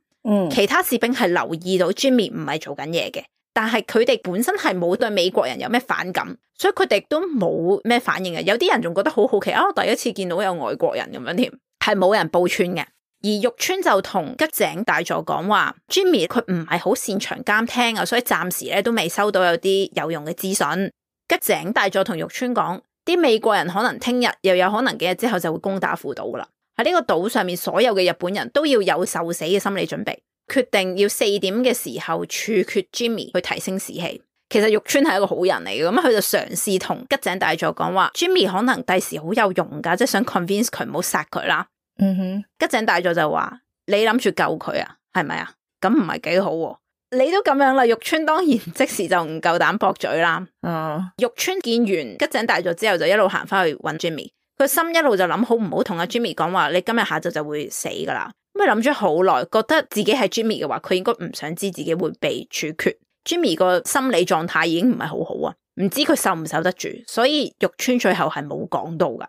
其他士兵係留意到 Jimmy 唔係做緊嘢嘅。但係佢哋本身係冇對美國人有咩反感，所以佢哋都冇咩反應嘅。有啲人仲覺得好好奇啊，我第一次見到有外國人咁樣添，係冇人報穿嘅。而玉川就同吉井大佐講話 ，Jimmy 佢唔係好擅長監聽啊，所以暫時咧都未收到有啲有用嘅資訊。吉井大佐同玉川講，啲美國人可能聽日又有可能幾日之後就會攻打富島噶啦。喺呢個島上面，所有嘅日本人都要有受死嘅心理準備。決定要4點嘅時候處決 Jimmy 去提升士氣。其實玉川係一個好人嚟嘅，咁佢就嘗試同吉井大佐講話 Jimmy 可能第時好有用噶，即係想 convince 佢唔好殺佢啦。吉井大佐就話：你諗住救佢啊？係咪啊？咁唔係幾好喎。你都咁樣啦，玉川當然即時就唔夠膽駁嘴啦。玉川見完吉井大佐之後就一路行翻去搵 Jimmy， 佢心一路就諗好唔好同阿 Jimmy 講話，你今日下晝就會死噶啦。咁佢諗咗好耐，覺得自己係 Jimmy 嘅話，佢應該唔想知自己會被處決。Jimmy 個心理狀態已經唔係好好啊，唔知佢受唔受得住，所以玉川最後係冇講到噶。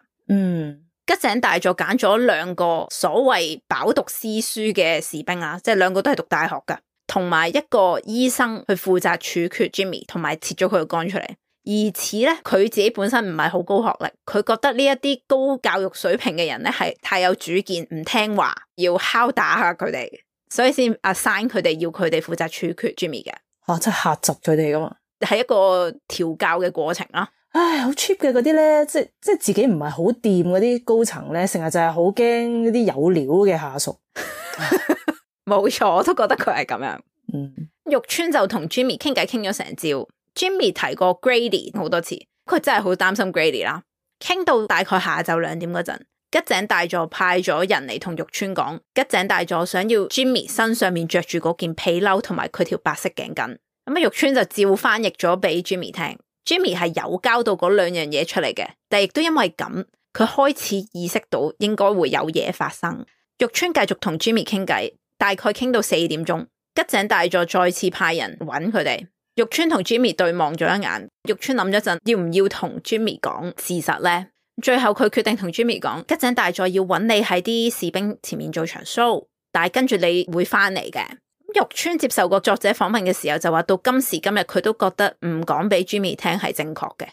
吉井大佐揀咗2個所謂飽讀詩書嘅士兵啊，即係2個都係讀大學噶，同埋一個醫生去負責處決 Jimmy， 同埋切咗佢個肝出嚟。而此咧，佢自己本身唔係好高學歷，佢覺得呢一啲高教育水平嘅人咧係太有主見，唔聽話，要敲打下佢哋，所以先 assign 佢哋，要佢哋負責處決 Jimmy 嘅。即係嚇窒佢哋噶嘛？係一個調教嘅過程啦。唉，好 cheap 嘅嗰啲咧，即係自己唔係好掂嗰啲高層咧，成日就係好驚嗰啲有料嘅下屬。冇錯，我都覺得佢係咁樣。玉川就同 Jimmy 傾偈傾咗成朝。Jimmy 提過 Grady 好多次，佢真係好擔心 Grady 啦。傾到大概下晝2點嗰陣，吉井大佐派咗人嚟同玉川講，吉井大佐想要 Jimmy 身上面着住嗰件皮褸同埋佢條白色頸巾。咁玉川就照翻譯咗俾 Jimmy 聽。Jimmy 係有交到嗰2樣嘢出嚟嘅，但亦都因為咁，佢開始意識到應該會有嘢發生。玉川繼續同 Jimmy 傾偈，大概傾到4點鐘，吉井大佐再次派人揾佢哋。玉川同 Jimmy 對望咗一眼，玉川諗咗陣，要唔要同 Jimmy 講事實呢？最後佢決定同 Jimmy 講，吉井大佐要揾你喺啲士兵前面做場 show， 但係跟住你會翻嚟嘅。玉川接受過作者訪問嘅時候就話，到今時今日佢都覺得唔講俾 Jimmy 聽係正確嘅。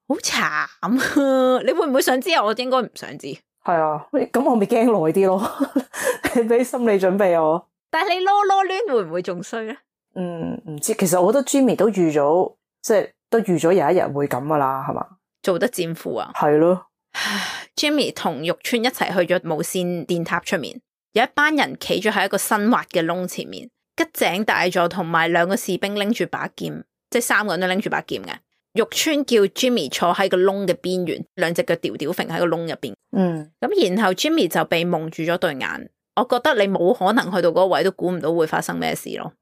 好慘，你會唔會想知啊？我應該唔想知。係啊，咁我咪驚耐啲咯，你俾心理準備我。但係你囉攣會唔會仲衰咧？唔知，其實我覺得 Jimmy 都預咗，即係都預咗有一日會咁噶啦，係嘛？做得戰俘啊？係咯。Jimmy 同玉川一齊去咗無線電塔出面，有一班人企咗喺一個新挖嘅窿前面，吉井大佐同埋2個士兵拎住把劍，即係3個人都拎住把劍嘅。玉川叫 Jimmy 坐喺個窿嘅邊緣，2隻腳吊揈喺個窿入邊。咁然後 Jimmy 就被蒙住咗對眼。我覺得你冇可能去到嗰個位都估唔到會發生咩事咯。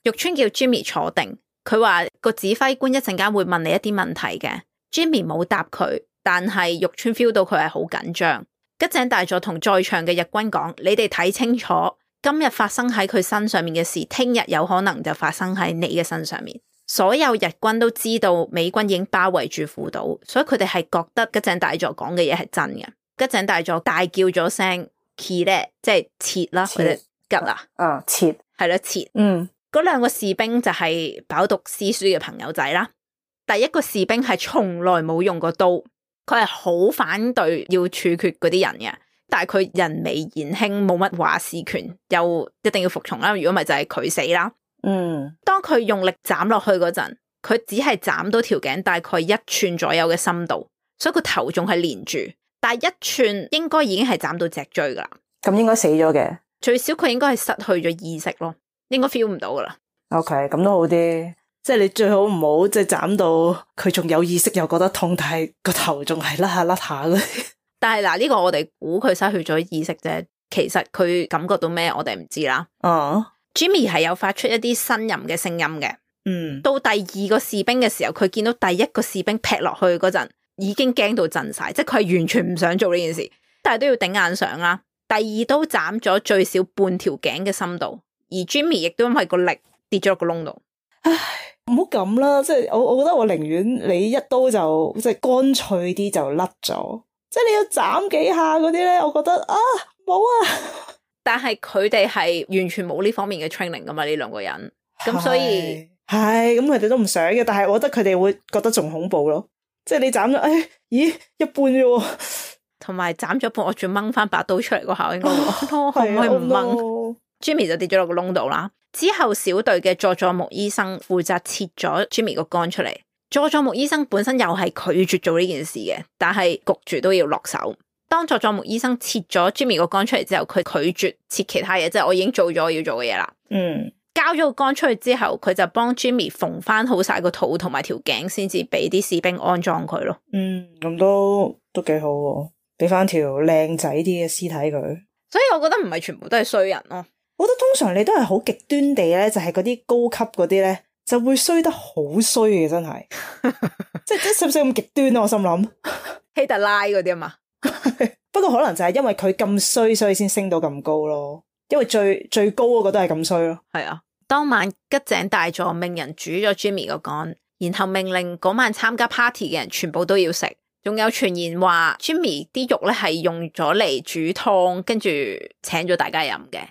玉川叫 Jimmy 坐定，佢話個指揮官一陣間會問你一啲問題嘅。Jimmy 冇答佢，但係玉川 feel 到佢係好緊張。吉井大佐同在場嘅日軍講，你哋睇清楚，今日發生喺佢身上面嘅事，聽日有可能就發生喺你嘅身上面，所有日軍都知道美軍已經包圍住父島，所以佢哋係覺得吉井大佐講嘅嘢係真嘅。吉井大佐大叫咗聲 Kire， 即係切啦，佢哋吉啊，切係啦，切。嗰兩個士兵就係飽讀詩書嘅朋友仔啦。第一個士兵係從來冇用過刀，佢係好反對要處決嗰啲人嘅，但係佢人微言輕，冇乜話事權，又一定要服從啦。如果唔係就係佢死啦。當佢用力斬落去嗰陣，佢只係斬到條頸大概1寸左右嘅深度，所以個頭仲係連住，但係1寸應該已經係斬到脊椎噶啦。咁應該死咗嘅，最少佢應該係失去咗意識咯，應該 feel 唔到噶啦。OK， 咁都好啲，即係你最好唔好即係斬到佢仲有意識又覺得痛，但係個頭仲係甩下嗰啲。但係嗱，呢個我哋估佢失去咗意識啫，其實佢感覺到咩我哋唔知啦。Jimmy 係有發出一啲呻吟嘅聲音嘅。到第二個士兵嘅時候，佢見到第一個士兵劈落去嗰陣，已經驚到震晒，即係佢係完全唔想做呢件事，但係都要頂硬上啦。第二刀斬咗最少半條頸嘅深度，而 Jimmy 亦都因為個力跌咗落個窿度。唉，唔好咁啦，即係我覺得我寧願你一刀就即係乾脆啲就甩咗，即係你要斬幾下嗰啲咧，我覺得啊冇啊。但係佢哋係完全冇呢方面嘅 training 噶嘛，呢兩個人，咁所以係咁佢哋都唔想嘅，但係我覺得佢哋會覺得仲恐怖咯，即係你斬咗，咦一半啫，同埋斬咗半，我仲掹翻把刀出嚟嗰下，應該可唔可以唔掹？Jimmy 就跌咗落個窿度啦。之後小隊嘅佐佐木醫生負責切咗 Jimmy 個肝出嚟。佐佐木醫生本身又係拒絕做呢件事嘅，但係焗住都要落手。當佐佐木醫生切咗 Jimmy 個肝出嚟之後，佢拒絕切其他嘢，即係我已經做咗我要做嘅嘢啦。交咗個肝出去之後，佢就幫 Jimmy 縫翻好晒個肚同埋條頸，先至俾啲士兵安葬佢咯。咁都幾好喎，俾翻條靚仔啲嘅屍體佢。所以我覺得唔係全部都係衰人咯。我覺得通常你都係好極端地咧，就係嗰啲高級嗰啲咧，就會衰得好衰嘅，真係。即係使唔使咁極端啊？我心諗希特拉嗰啲啊嘛。不過可能就係因為佢咁衰，所以先升到咁高咯。因為最高嗰個都係咁衰咯。係啊，當晚吉井大佐命人煮咗 Jimmy 個肝，然後命令嗰晚參加 party 嘅人全部都要食。仲有傳言話 Jimmy 啲肉咧係用咗嚟煮湯，跟住請咗大家飲嘅。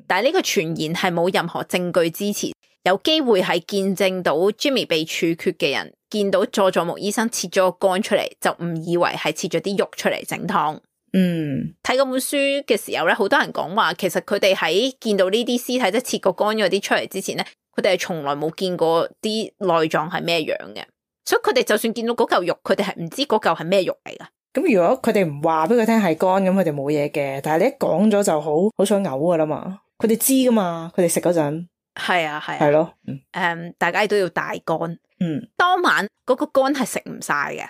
但係呢個傳言係冇任何證據支持，有機會係見證到 Jimmy 被處決嘅人見到佐佐木醫生切咗個肝出嚟，就誤以為係切咗啲肉出嚟整湯。睇嗰本書嘅時候咧，好多人講話，其實佢哋喺見到呢啲屍體即係切個肝嗰啲出嚟之前咧，佢哋係從來冇見過啲內臟係咩樣嘅，所以佢哋就算見到嗰嚿肉，佢哋係唔知嗰嚿係咩肉嚟噶。咁如果佢哋唔話俾佢聽係肝，咁佢哋冇嘢嘅。但係你一講咗就好想嘔噶啦嘛，佢哋知噶嘛，佢哋食嗰陣係啊係咯。大家亦都要大肝。當晚嗰個肝係食唔晒嘅。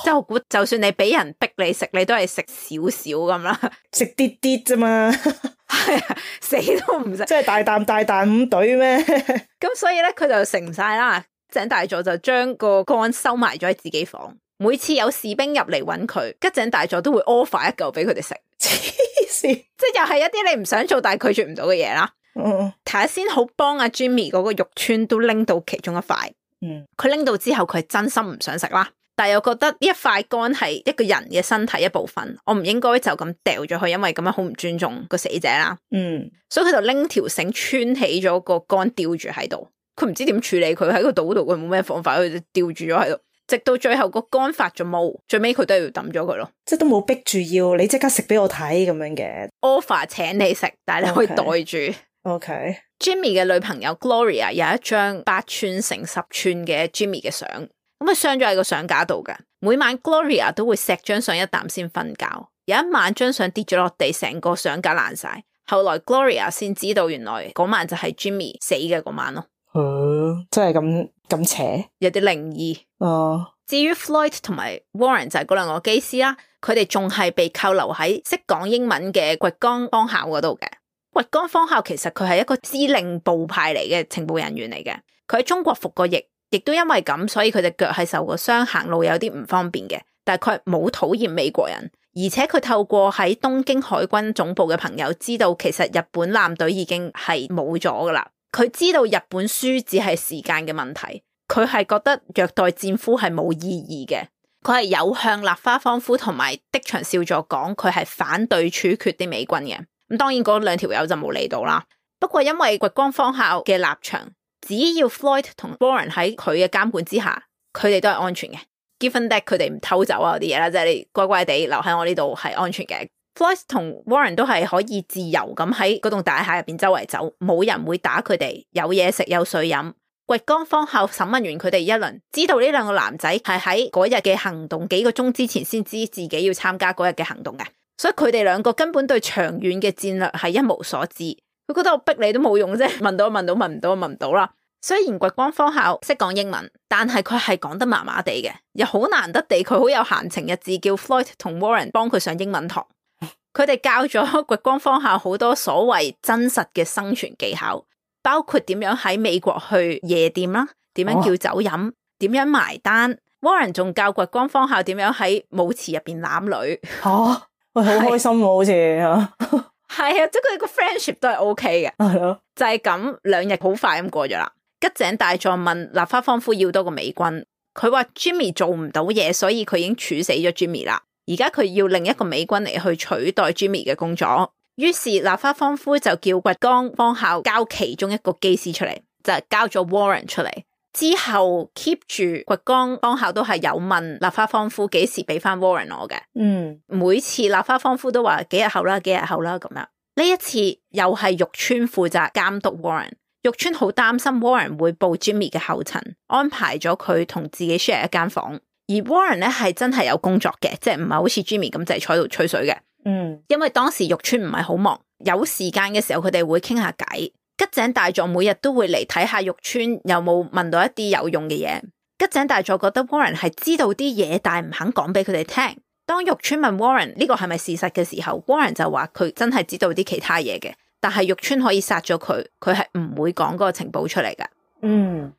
即係我估，就算你俾人逼你食，你都係食少少咁啦，食啲啲啫嘛，係啊，死都唔食，即係大啖咁懟咩？咁所以咧，佢就食唔晒啦。吉井大佐就將個肝收埋咗喺自己房。每次有士兵入嚟揾佢，吉井大佐都會 offer 一嚿俾佢哋食。黐線，即係又係一啲你唔想做但係拒絕唔到嘅嘢啦。睇下先好幫阿 Jimmy 嗰個肉串都拎到其中一塊。佢拎到之後，佢係真心唔想食啦。但係又覺得呢一塊肝係一個人嘅身體一部分，我唔應該就咁掉咗佢，因為咁樣好唔尊重個死者啦。所以佢就拎條繩穿起咗個肝吊住喺度，佢唔知點處理佢喺個島度，佢冇咩方法，佢就吊住咗喺度，直到最後個肝發咗毛，最尾佢都要抌咗佢咯。即係都冇逼住要你即刻食俾我睇咁樣嘅 offer 請你食，但係你可以袋住。Okay. Jimmy 嘅女朋友 Gloria 有一張8寸乘10寸嘅 Jimmy 嘅相。咁佢鑲咗喺個相架度嘅，每晚 Gloria 都會錫張相一啖先瞓覺。有一晚張相跌咗落地，成個相架爛晒。後來 Gloria 先知道原來嗰晚就係 Jimmy 死嘅嗰晚咯。真係咁邪，有啲靈異。至於 Floyd 同埋 Warren 就係嗰兩個機師啦，佢哋仲係被扣留喺識講英文嘅掘江方校嗰度嘅。掘江方校其實佢係一個司令部派嚟嘅情報人員嚟嘅，佢喺中國服過役。亦都因為咁，所以佢隻腳係受過傷，行路有啲唔方便嘅。但係佢冇討厭美國人，而且佢透過喺東京海軍總部嘅朋友知道，其實日本艦隊已經係冇咗噶啦。佢知道日本輸只係時間嘅問題，佢係覺得虐待戰俘係冇意義嘅，佢係有向立花芳夫同埋的場少佐講佢係反對處決啲美軍嘅。咁當然嗰兩條友就冇理到啦。不過因為掘光芳校嘅立場，只要 Floyd 同 Warren 喺佢嘅監管之下，佢哋都係安全嘅。Given that 佢哋唔偷走啊嗰啲嘢啦，即係你乖乖地留喺我呢度係安全嘅。Floyd 同 Warren 都係可以自由咁喺嗰棟大廈入邊周圍走，冇人會打佢哋，有嘢食有水飲。掘光芳校審問完佢哋一輪，知道呢兩個男仔係喺嗰日嘅行動幾個鐘之前先知自己要參加嗰日嘅行動嘅，所以佢哋兩個根本對長遠嘅戰略係一無所知。佢覺得我逼你都冇用啫，問到問到，問唔到問唔到啦。雖然掘光芳校識講英文，但係佢係講得麻麻地嘅，又好難得地佢好有閒情逸致叫 Floyd 同 Warren 幫佢上英文堂。佢哋教咗掘光芳校好多所謂真實嘅生存技巧，包括點樣喺美國去夜店啦，點樣叫酒飲，點樣埋單。Warren 仲教掘光芳校點樣喺舞池入邊攬女。喂，好開心喎，好似係啊，即係佢哋個 friendship 都係 OK 嘅。係咯，就係咁2日好快咁過咗啦。吉井大佐問立花芳夫要多個美軍，佢話 Jimmy 做唔到嘢，所以佢已經處死咗 Jimmy 啦。而家佢要另一個美軍嚟去取代 Jimmy 嘅工作。於是立花芳夫就叫掘光芳校交其中一個機師出嚟，就係交咗 Warren 出嚟。之後 keep 住掘光芳校都係有問立花芳夫幾時俾翻 Warren 我嘅。每次立花芳夫都話幾日後啦，幾日後啦咁樣。呢一次又係玉川負責監督 Warren。玉川好擔心 Warren 會步 Jimmy 嘅後塵，安排咗佢同自己 share 一間房。而 Warren 咧係真係有工作嘅，即係唔係好似 Jimmy 咁就係坐喺度吹水嘅。因為當時玉川唔係好忙，有時間嘅時候佢哋會傾下偈。吉井大佐每日都會嚟睇下玉川有冇問到一啲有用嘅嘢。吉井大佐覺得 Warren 係知道啲嘢，但係唔肯講俾佢哋聽。當玉川問 Warren 呢個係咪事實嘅時候， Warren 就話佢真係知道啲其他嘢嘅。但係玉川可以殺咗佢，佢係唔會講嗰個情報出嚟噶。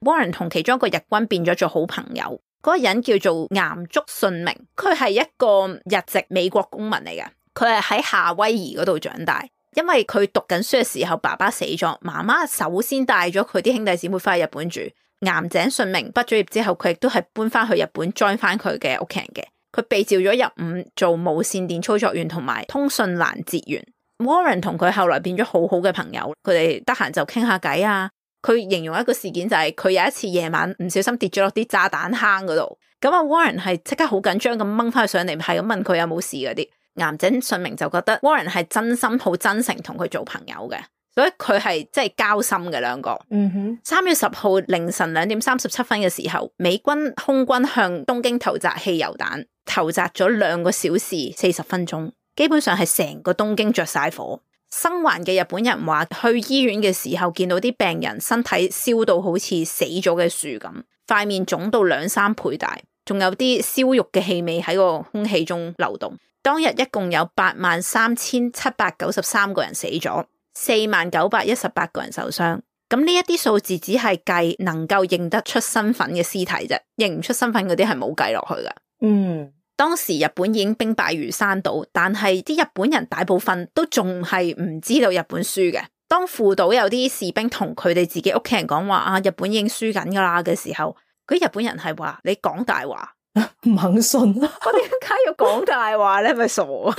Warren 同其中一個日軍變咗做好朋友，嗰個人叫做岩竹信明，佢係一個日籍美國公民嚟嘅，佢係喺夏威夷嗰度長大。因為佢讀緊書嘅時候爸爸死咗，媽媽首先帶咗佢啲兄弟姊妹翻去日本住。岩井信明畢咗業之後，佢亦都係搬翻去日本 join 翻佢嘅屋企人嘅。佢被召咗入伍做無線電操作員同埋通訊攔截員。Warren 同佢後來變咗好好嘅朋友，佢哋得閒就傾下偈啊。佢形容一個事件就係佢有一次夜晚唔小心跌咗落啲炸彈坑嗰度，咁啊 Warren 係即刻好緊張咁掹翻去上嚟，係咁問佢有冇事嗰啲。岩井信明就覺得 Warren 係真心好真誠同佢做朋友嘅，所以佢係即係交心嘅兩個。3月10號凌晨2點37分嘅時候，美軍空軍向東京投擲汽油彈，投擲咗2個小時40分鐘。基本上係成個東京着晒火。生還嘅日本人話，去醫院嘅時候見到啲病人身體燒到好似死咗嘅樹咁，塊面腫到2-3倍大，仲有啲燒肉嘅氣味喺個空氣中流動。當日一共有83,793個人死咗，4918個人受傷。咁呢一啲數字只係計能夠認得出身份嘅屍體啫，認唔出身份嗰啲係冇計落去噶。當時日本已經兵敗如山倒，但係啲日本人大部分都仲係唔知道日本輸嘅。當父島有啲士兵同佢哋自己屋企人講話啊，日本已經輸緊噶啦嘅時候，嗰啲日本人係話你講大話，唔肯信。我點解要講大話咧？咪傻啊！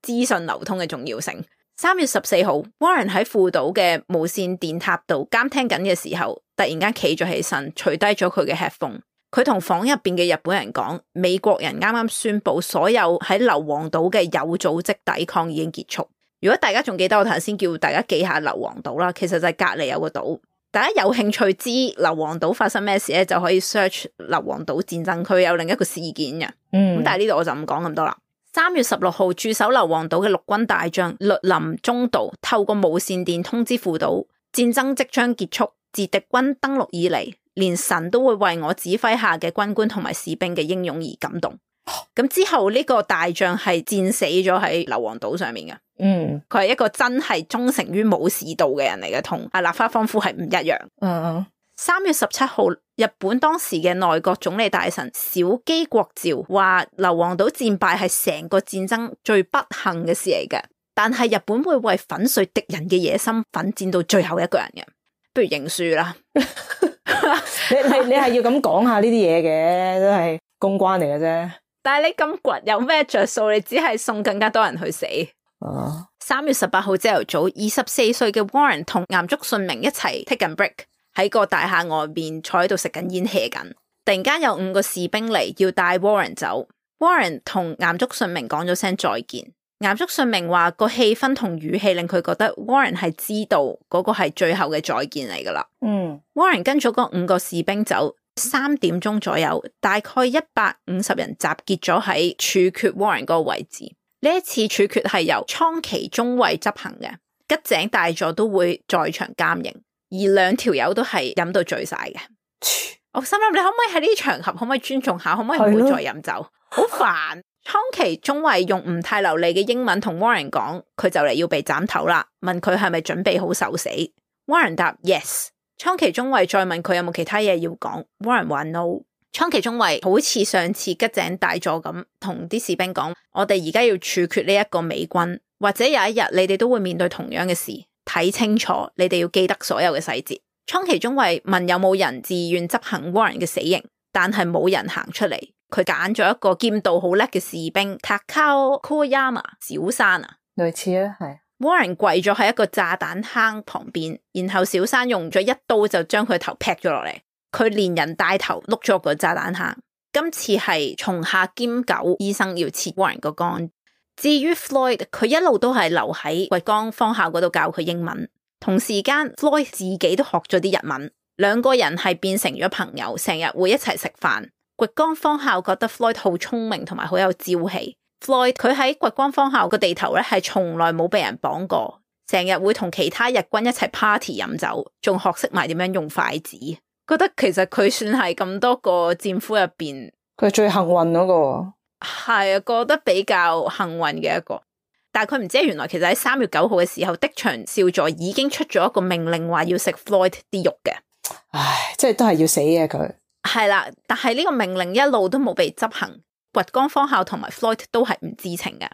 資訊流通嘅重要性。3月14號 Warren 喺父島嘅無線電塔度監聽緊嘅時候，突然間企咗起身，除低咗佢嘅 headphone。佢同房入邊嘅日本人講，美國人啱啱宣布所有喺硫磺島嘅有組織抵抗已經結束。如果大家仲記得我頭先叫大家記下硫磺島啦，其實就係隔籬有個島。大家有興趣知硫磺島發生咩事咧，就可以 search 硫磺島戰爭區，有另一個事件嘅。咁但係呢度我就唔講咁多啦。3月16號駐守硫磺島嘅陸軍大將栗林中道透過無線電通知父島，戰爭即將結束，自敵軍登陸以嚟，連神都會為我指揮下嘅軍官同埋士兵嘅英勇而感動。咁之後呢個大將係戰死咗喺硫磺島上面嘅。佢係一個真係忠誠於武士道嘅人嚟嘅，同阿立花芳夫係唔一樣。3月17號，日本當時嘅內閣總理大臣小磯國照話，硫磺島戰敗係成個戰爭最不幸嘅事嚟嘅，但係日本會為粉碎敵人嘅野心奮戰到最後一個人嘅。不如認輸啦。你係要咁講下呢啲嘢嘅，都係公關嚟嘅啫。但係你咁倔有咩着數？你只係送更加多人去死。3月18號朝頭早，24歲嘅 Warren 同岩竹信明一齊 take 緊 break， 喺個大廈外邊坐喺度食緊煙 hea 緊。突然間有5個士兵嚟要帶 Warren 走。Warren 同岩竹信明講咗聲再見。岩竹信明話個氣氛同語氣令佢覺得 Warren 係知道嗰個係最後嘅再見嚟噶啦。Warren 跟咗嗰5個士兵走，3點鐘左右，大概150人集結咗喺處決 Warren 嗰個位置。呢一次處決係由倉崎中尉執行嘅，吉井大佐都會在場監刑，而2條友都係飲到醉晒嘅。我心諗你可唔可以喺呢啲場合可唔可以尊重下，可唔可以唔好再飲酒？好煩。倉崎中尉用唔太流利嘅英文同 Warren 講，佢就嚟要被斬頭啦，問佢係咪準備好受死。Warren 答 yes。倉崎中尉再問佢有冇其他嘢要講， Warren 話 no。倉崎中尉好似上次吉井大佐咁同啲士兵講，我哋而家要處決呢一個美軍，或者有一日你哋都會面對同樣嘅事，睇清楚，你哋要記得所有嘅細節。倉崎中尉問有冇人自願執行 Warren 嘅死刑，但係冇人行出嚟。佢揀咗一個劍道好叻嘅士兵 Takao Koyama 小山啊，類似啊，係。Warren 跪咗喺一個炸彈坑旁邊，然後小山用咗一刀就將佢頭劈咗落嚟，佢連人帶頭碌咗個炸彈坑。今次係松下兼久醫生要切 Warren 個肝。至於 Floyd， 佢一路都係留喺掘江方校嗰度教佢英文，同時間 Floyd 自己都學咗啲日文，2個人係變成咗朋友，成日會一齊食飯。掘江方校覺得 Floyd 好聰明同埋好有朝氣。Floyd 佢喺掘江方校個地頭咧係從來冇被人綁過，成日會同其他日軍一齊 party 飲酒，仲學識埋點樣用筷子。覺得其實佢算係咁多個戰俘入邊，佢係最幸運嗰個。係啊，覺得比較幸運嘅一個。但係佢唔知原來其實喺3月9號嘅時候，的場少佐已經出咗一個命令，話要食 Floyd 啲肉嘅。唉，即係都係要死嘅佢。係啦，但係呢個命令一路都冇被執行，掘江方校同埋 Floyd 都係唔知情嘅。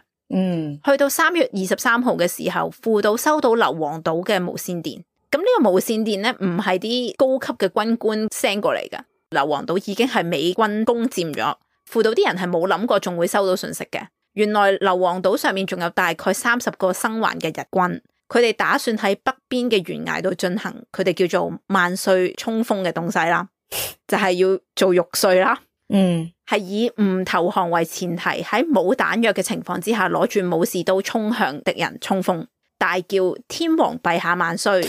去到3月23號嘅時候，父島收到硫磺島嘅無線電。咁呢個無線電咧唔係啲高級嘅軍官 send 過嚟嘅，硫磺島已經係美軍攻佔咗。父島啲人係冇諗過仲會收到信息嘅。原來硫磺島上面仲有大概30個生還嘅日軍，佢哋打算喺北邊嘅懸崖度進行佢哋叫做萬歲衝鋒嘅東西啦。就係要做玉碎啦，係以唔投降為前提，喺冇彈藥嘅情況之下，攞住武士刀衝向敵人衝鋒，大叫天皇陛下萬歲，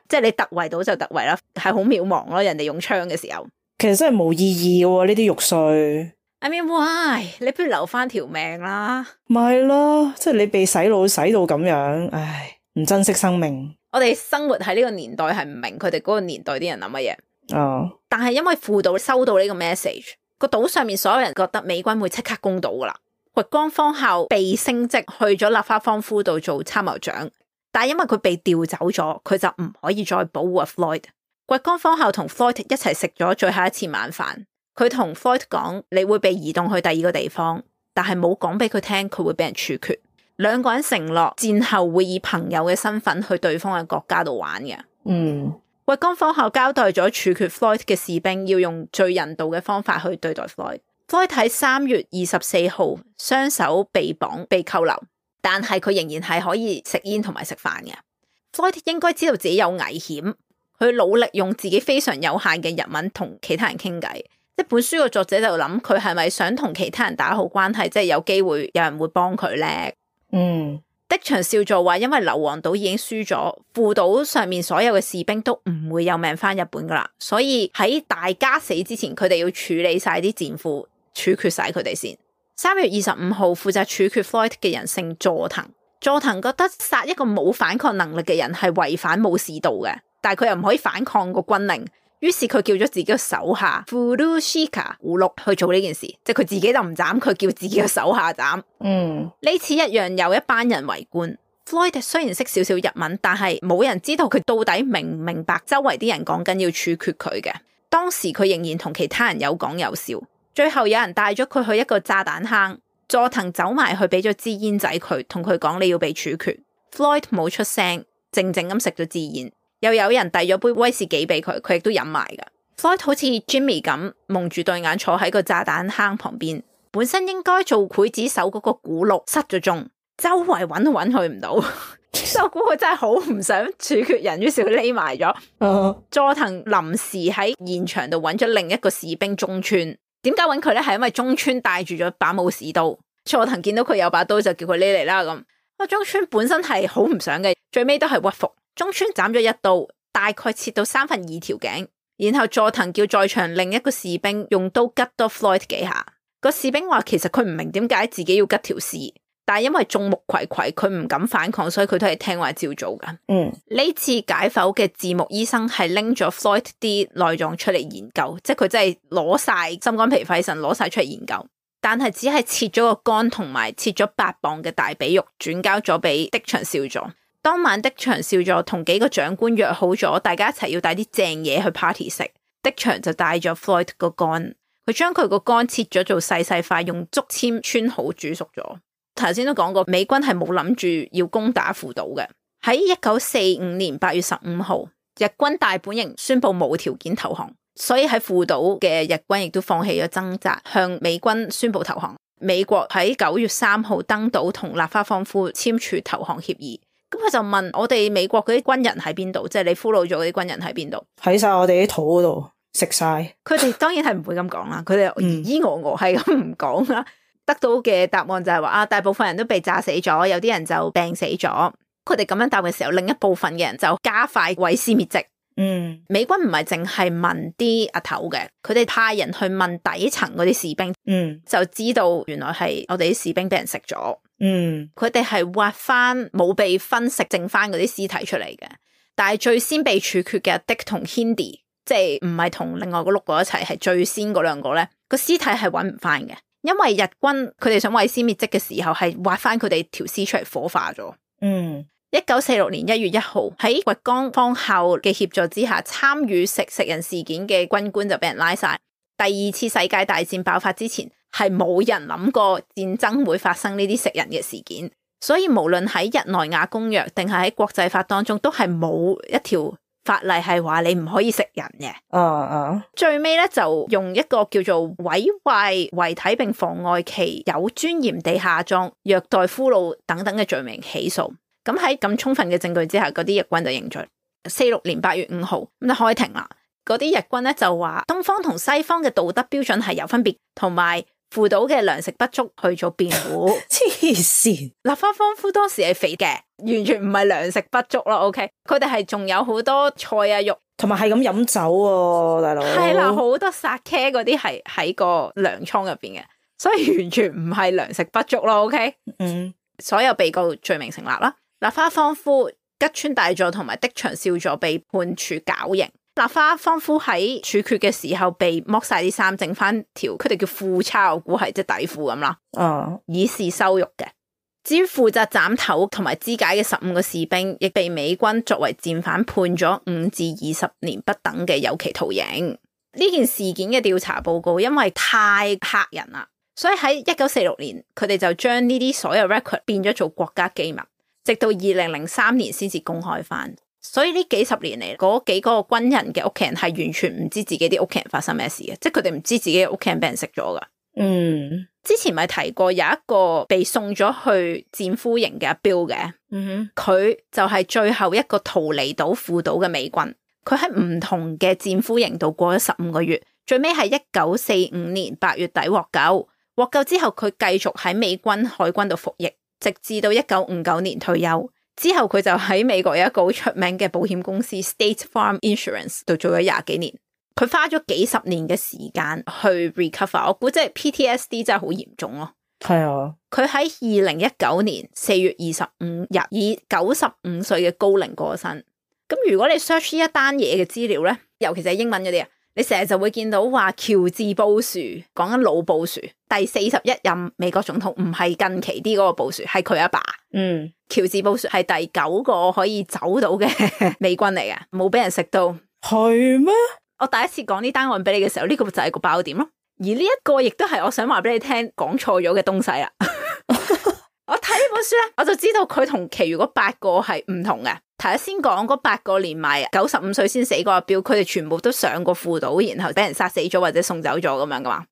即係你突圍到就突圍啦，係好渺茫咯。人哋用槍嘅時候，其實真係冇意義嘅呢啲玉碎。I mean why？ 你不如留翻條命啦。咪係咯，即係你被洗腦洗到咁樣，唉，唔珍惜生命。我哋生活喺呢個年代係唔明佢哋嗰個年代啲人諗乜嘢。但係因為父島收到呢個 message， 個島上面所有人覺得美軍會即刻攻島噶啦。掘江方校被升職去咗立花芳夫度做參謀長，但係因為佢被調走咗，佢就唔可以再保護阿 Floyd。掘江方校同 Floyd 一齊食咗最後一次晚飯，佢同 Floyd 講你會被移動去第2個地方，但係冇講俾佢聽佢會俾人處決。2個人承諾戰後會以朋友嘅身份去對方嘅國家度玩嘅。掘江方校交代咗處決 Floyd 嘅士兵要用最人道嘅方法去對待 Floyd。Floyd 喺3月24號雙手被綁被扣留，但係佢仍然係可以食煙同埋食飯嘅。Floyd 應該知道自己有危險，佢努力用自己非常有限嘅日文同其他人傾偈。即係本書個作者就諗佢係咪想同其他人打好關係，即係有機會有人會幫佢咧。的場少佐話因為硫磺島已經輸咗，父島上面所有嘅士兵都唔會有命翻日本噶啦，所以喺大家死之前，佢哋要處理晒啲戰俘，處決晒佢哋先。3月25號負責處決 Floyd 嘅人姓佐藤，佐藤覺得殺一個冇反抗能力嘅人係違反武士道嘅，但係佢又唔可以反抗個軍令，於是佢叫咗自己嘅手下 Furushika 胡祿去做呢件事，即係佢自己就唔斬，佢叫自己嘅手下斬。呢次一樣有一班人圍觀。Floyd 雖然識少少日文，但係冇人知道佢到底明唔明白周圍啲人講緊要處決佢嘅。當時佢仍然同其他人有講有笑。最後有人帶咗佢去一個炸彈坑，佐藤走埋去俾咗支煙仔佢，同佢講你要被處決。Floyd 冇出聲，靜靜咁食咗支煙。又有人遞咗杯威士忌俾佢，佢亦都飲埋噶。Floyd 好似 Jimmy 咁蒙住對眼坐喺個炸彈坑旁邊，本身應該做劊子手嗰個古鹿失咗蹤，周圍揾都揾佢唔到。所以我估佢真係好唔想處決人，於是佢匿埋咗。佐藤臨時喺現場度揾咗另一個士兵中村。點解揾佢咧？係因為中村帶住咗把武士刀，佐藤見到佢有把刀就叫佢匿嚟啦咁。中村本身係好唔想嘅，最尾都係屈服。中村斬咗一刀，大概切到2/3條頸，然後佐藤叫在場另一個士兵用刀吉多 Floyd 幾下。個士兵話其實佢唔明點解自己要吉條屍，但係因為眾目睽睽，佢唔敢反抗，所以佢都係聽話照做噶。呢次解剖嘅字幕醫生係拎咗 Floyd 啲內臟出嚟研究，即係佢真係攞晒心肝脾肺腎攞晒出嚟研究，但係只係切咗個肝同埋切咗8磅嘅大髀肉，轉交咗俾的場少佐。當晚的場少佐同幾個長官約好咗，大家一齊要帶啲正嘢去 party 食。的場就帶咗 Floyd 個肝，佢將佢個肝切咗做細細塊，用竹籤穿好煮熟咗。頭先都講過，美軍係冇諗住要攻打父島嘅。喺1945年8月15號，日軍大本營宣布無條件投降，所以喺父島嘅日軍亦都放棄咗掙扎，向美軍宣布投降。美國喺9月3號登島同立花芳夫簽署投降協議。咁佢就問我哋美國嗰啲軍人喺邊度？即係你俘虜咗嗰啲軍人喺邊度？喺晒我哋啲肚嗰度食晒。佢哋當然係唔會咁講啦，佢哋咿咿係咁唔講啦。得到嘅答案就係話大部分人都被炸死咗，有啲人就病死咗。佢哋咁樣答嘅時候，另一部分嘅人就加快毀屍滅跡。美軍唔係淨係問啲阿頭嘅，佢哋派人去問底層嗰啲士兵，就知道原來係我哋啲士兵俾人食咗。佢哋係挖翻冇被分食剩翻嗰啲屍體出嚟嘅，但係最先被處決嘅 Dick 同 Hindi， 即係唔係同另外嗰6個一齊，係最先嗰2個咧，個屍體係揾唔翻嘅，因為日軍佢哋想毀屍滅跡嘅時候係挖翻佢哋條屍出嚟火化咗。1946年1月1號喺掘江方校嘅協助之下，參與食人事件嘅軍官就俾人拉晒。第2次世界大戰爆發之前，係冇人諗過戰爭會發生呢啲食人嘅事件，所以無論喺日內瓦公約定係喺國際法當中，都係冇一條法例係話你唔可以食人嘅。最尾咧就用一個叫做毀壞遺體並妨礙其有尊嚴地下葬、虐待俘虜等等嘅罪名起訴。咁喺咁充分嘅證據之下，嗰啲日軍就認罪。46年8月5號咁就開庭啦。嗰啲日軍咧就話東方同西方嘅道德標準係有分別，同埋父島嘅糧食不足去做辯護。黐線！立花芳夫當時係肥嘅，完全唔係糧食不足咯。OK， 佢哋係仲有好多菜啊肉，同埋係咁飲酒喎，大佬。係啦，好多殺茄嗰啲係喺個糧倉入邊嘅，所以完全唔係糧食不足咯。OK， 所有被告罪名成立啦。立花芳夫、吉川大佐同埋的場少佐被判處絞刑。立花芳夫喺處決嘅時候被剝晒啲衫，剩翻條佢哋叫褲叉，我估係即係底褲咁啦。以示羞辱嘅。至於負責斬頭同埋肢解嘅15個士兵，亦被美軍作為戰犯判咗5至20年不等嘅有期徒刑。呢件事件嘅調查報告因為太嚇人啦，所以喺1946年佢哋就將呢啲所有 record 變咗做國家機密。直到2003年先至公開翻，所以呢幾十年嚟，嗰幾個軍人嘅屋企人係完全唔知自己啲屋企人發生咩事嘅，即係佢哋唔知自己嘅屋企人俾人食咗噶。之前咪提過有一個被送咗去戰俘營嘅阿 Bill 嘅，佢就係最後一個逃離到父島嘅美軍，佢喺唔同嘅戰俘營度過咗15個月，最尾係1945年8月底獲救。獲救之後，佢繼續喺美軍海軍度服役。直至到1959年退休之後，佢就喺美國有一個好出名嘅保險公司 State Farm Insurance 度做咗20幾年。佢花咗幾十年嘅時間去 recover， 我估即係 PTSD 真係好嚴重咯。係啊，佢喺2019年4月25日以95歲嘅高齡過身。咁如果你 search 呢一單嘢嘅資料咧，尤其是係英文嗰啲啊，你成日就會見到話喬治布殊，講緊老布殊，第41任美國總統，唔係近期啲嗰個布殊，係佢阿爸。喬治布殊係第9個可以走到嘅美軍嚟嘅，冇俾人食到。係咩？我第一次講呢單案俾你嘅時候，呢個就係個爆點咯。而呢一個亦都係我想話俾你聽講錯咗嘅東西啦。我睇呢本書咧，我就知道佢同其餘嗰8個係唔同嘅。頭先講嗰8個連埋95歲先死嗰個阿標，佢哋全部都上過父島，然後俾人殺死咗或者送走咗咁樣噶嘛。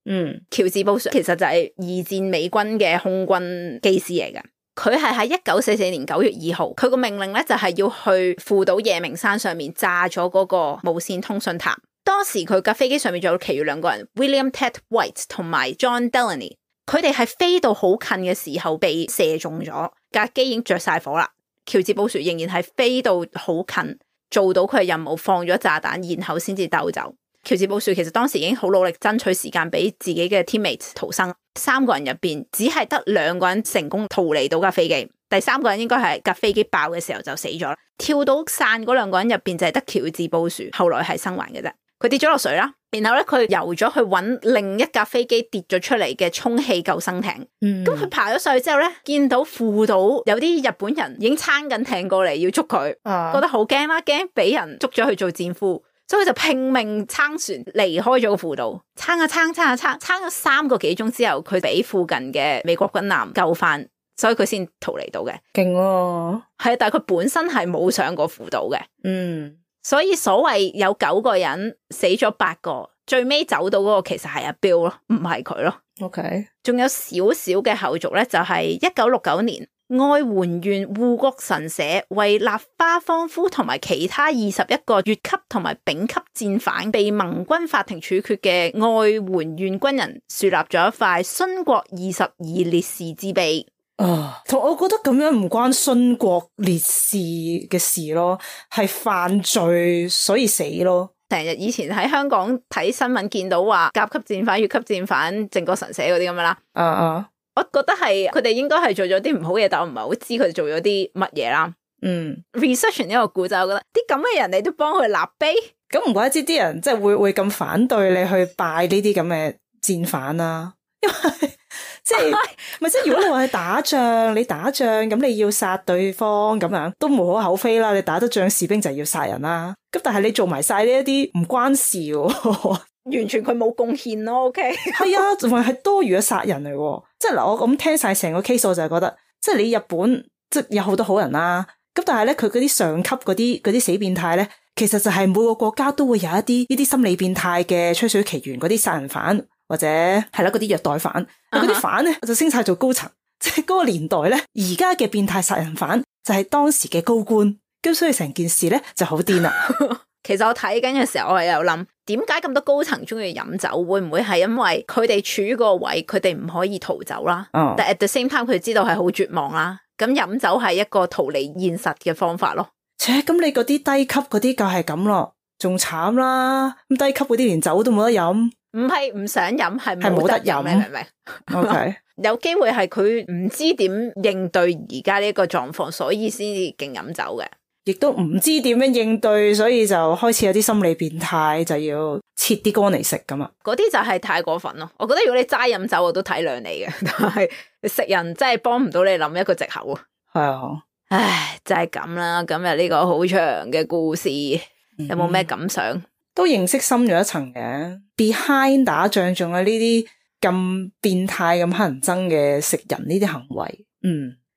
喬治布殊其實就係二戰美軍嘅空軍機師嚟嘅，佢係喺1944年9月2號，佢個命令咧就係要去父島夜明山上面炸咗嗰個無線通訊塔。當時佢架飛機上面仲有其餘2個人 William Ted White 同埋 John Delaney， 佢哋係飛到好近嘅時候被射中咗，架機已經着晒火啦。喬治布殊仍然係飛到好近，做到佢嘅任務，放咗炸彈，然後先至兜走。喬治布殊其實當時已經好努力爭取時間俾自己嘅 teammates 逃生，3個人入邊只係得2個人成功逃離到架飛機，第3個人應該係架飛機爆嘅時候就死咗。跳到傘嗰2個人入邊就係得喬治布殊後來係生還嘅啫。佢跌咗落水啦，然後咧佢游咗去揾另一架飛機跌咗出嚟嘅充氣救生艇。咁佢爬咗上去之後咧，見到父島有啲日本人已經撐緊艇過嚟要捉佢，覺得好驚啦，驚俾人捉咗去做戰俘，所以佢就拼命撐船離開咗個父島，撐咗3個幾鐘之後，佢俾附近嘅美國軍艦救翻，所以佢先逃離到嘅。勁喎，係，但係佢本身係冇上過父島嘅。所以所謂有9個人死咗8個，最尾走到嗰個其實係阿 Bill 咯，唔係佢咯。OK， 仲有少少嘅後續咧，就係1969年，愛媛縣護國神社為立花芳夫同埋其他21個乙級同埋丙級戰犯被盟軍法庭處決嘅愛媛縣軍人樹立咗一塊殉國22烈士之碑。同我覺得咁樣唔關殉國烈士嘅事咯，係犯罪所以死咯。成日以前喺香港睇新聞見到話甲級戰犯、乙級戰犯、靖國神社嗰啲咁樣啦。我覺得係佢哋應該係做咗啲唔好嘢，但我唔係好知佢哋做咗啲乜嘢啦。research 呢個故仔，我覺得啲咁嘅人你都幫佢立碑，咁唔怪之啲人即係會咁反對你去拜呢啲咁嘅戰犯啦，因為即係咪即係如果你話去打仗，你打仗咁你要殺對方咁樣都無可厚非啦，你打得仗士兵就要殺人啦。咁但係你做埋晒呢一啲唔關事喎，完全佢冇貢獻咯。OK， 係啊，仲係多餘嘅殺人嚟喎。即係嗱，我咁聽晒成個 case， 我就係覺得，即係你日本即係有好多好人啦。咁但係咧，佢嗰啲上級嗰啲死變態咧，其實就係每個國家都會有一啲呢啲心理變態嘅吹水奇緣，嗰啲殺人犯或者係啦嗰啲虐待犯，嗰啲犯咧就升晒做高層。即係嗰個年代咧，而家嘅變態殺人犯就係當時嘅高官，咁所以成件事咧就好癲啦。其實我睇緊嘅時候，我係有諗，點解咁多高層中意飲酒？會唔會係因為佢哋處於個位，佢哋唔可以逃走啦？但 at the same time，佢哋知道係好絕望啦。咁飲酒係一個逃離現實嘅方法咯。咁你嗰啲低級嗰啲就係咁咯，仲慘啦。咁低級嗰啲連酒都冇得飲，唔係唔想飲，係冇得飲，你明唔明？OK， 有機會係佢唔知點應對而家呢個狀況，所以先至勁飲酒嘅。亦都唔知點樣應對，所以就開始有啲心理變態，就要切啲乾嚟食咁啊！嗰啲就係太過分咯。我覺得如果你齋飲酒，我都體諒你嘅，但係食人真係幫唔到你諗一個藉口啊！係啊，唉，就係咁啦。今日呢個好長嘅故事，有冇咩感想？都認識深咗一層嘅。Behind 打仗仲有呢啲咁變態、咁乞人憎嘅食人呢啲行為，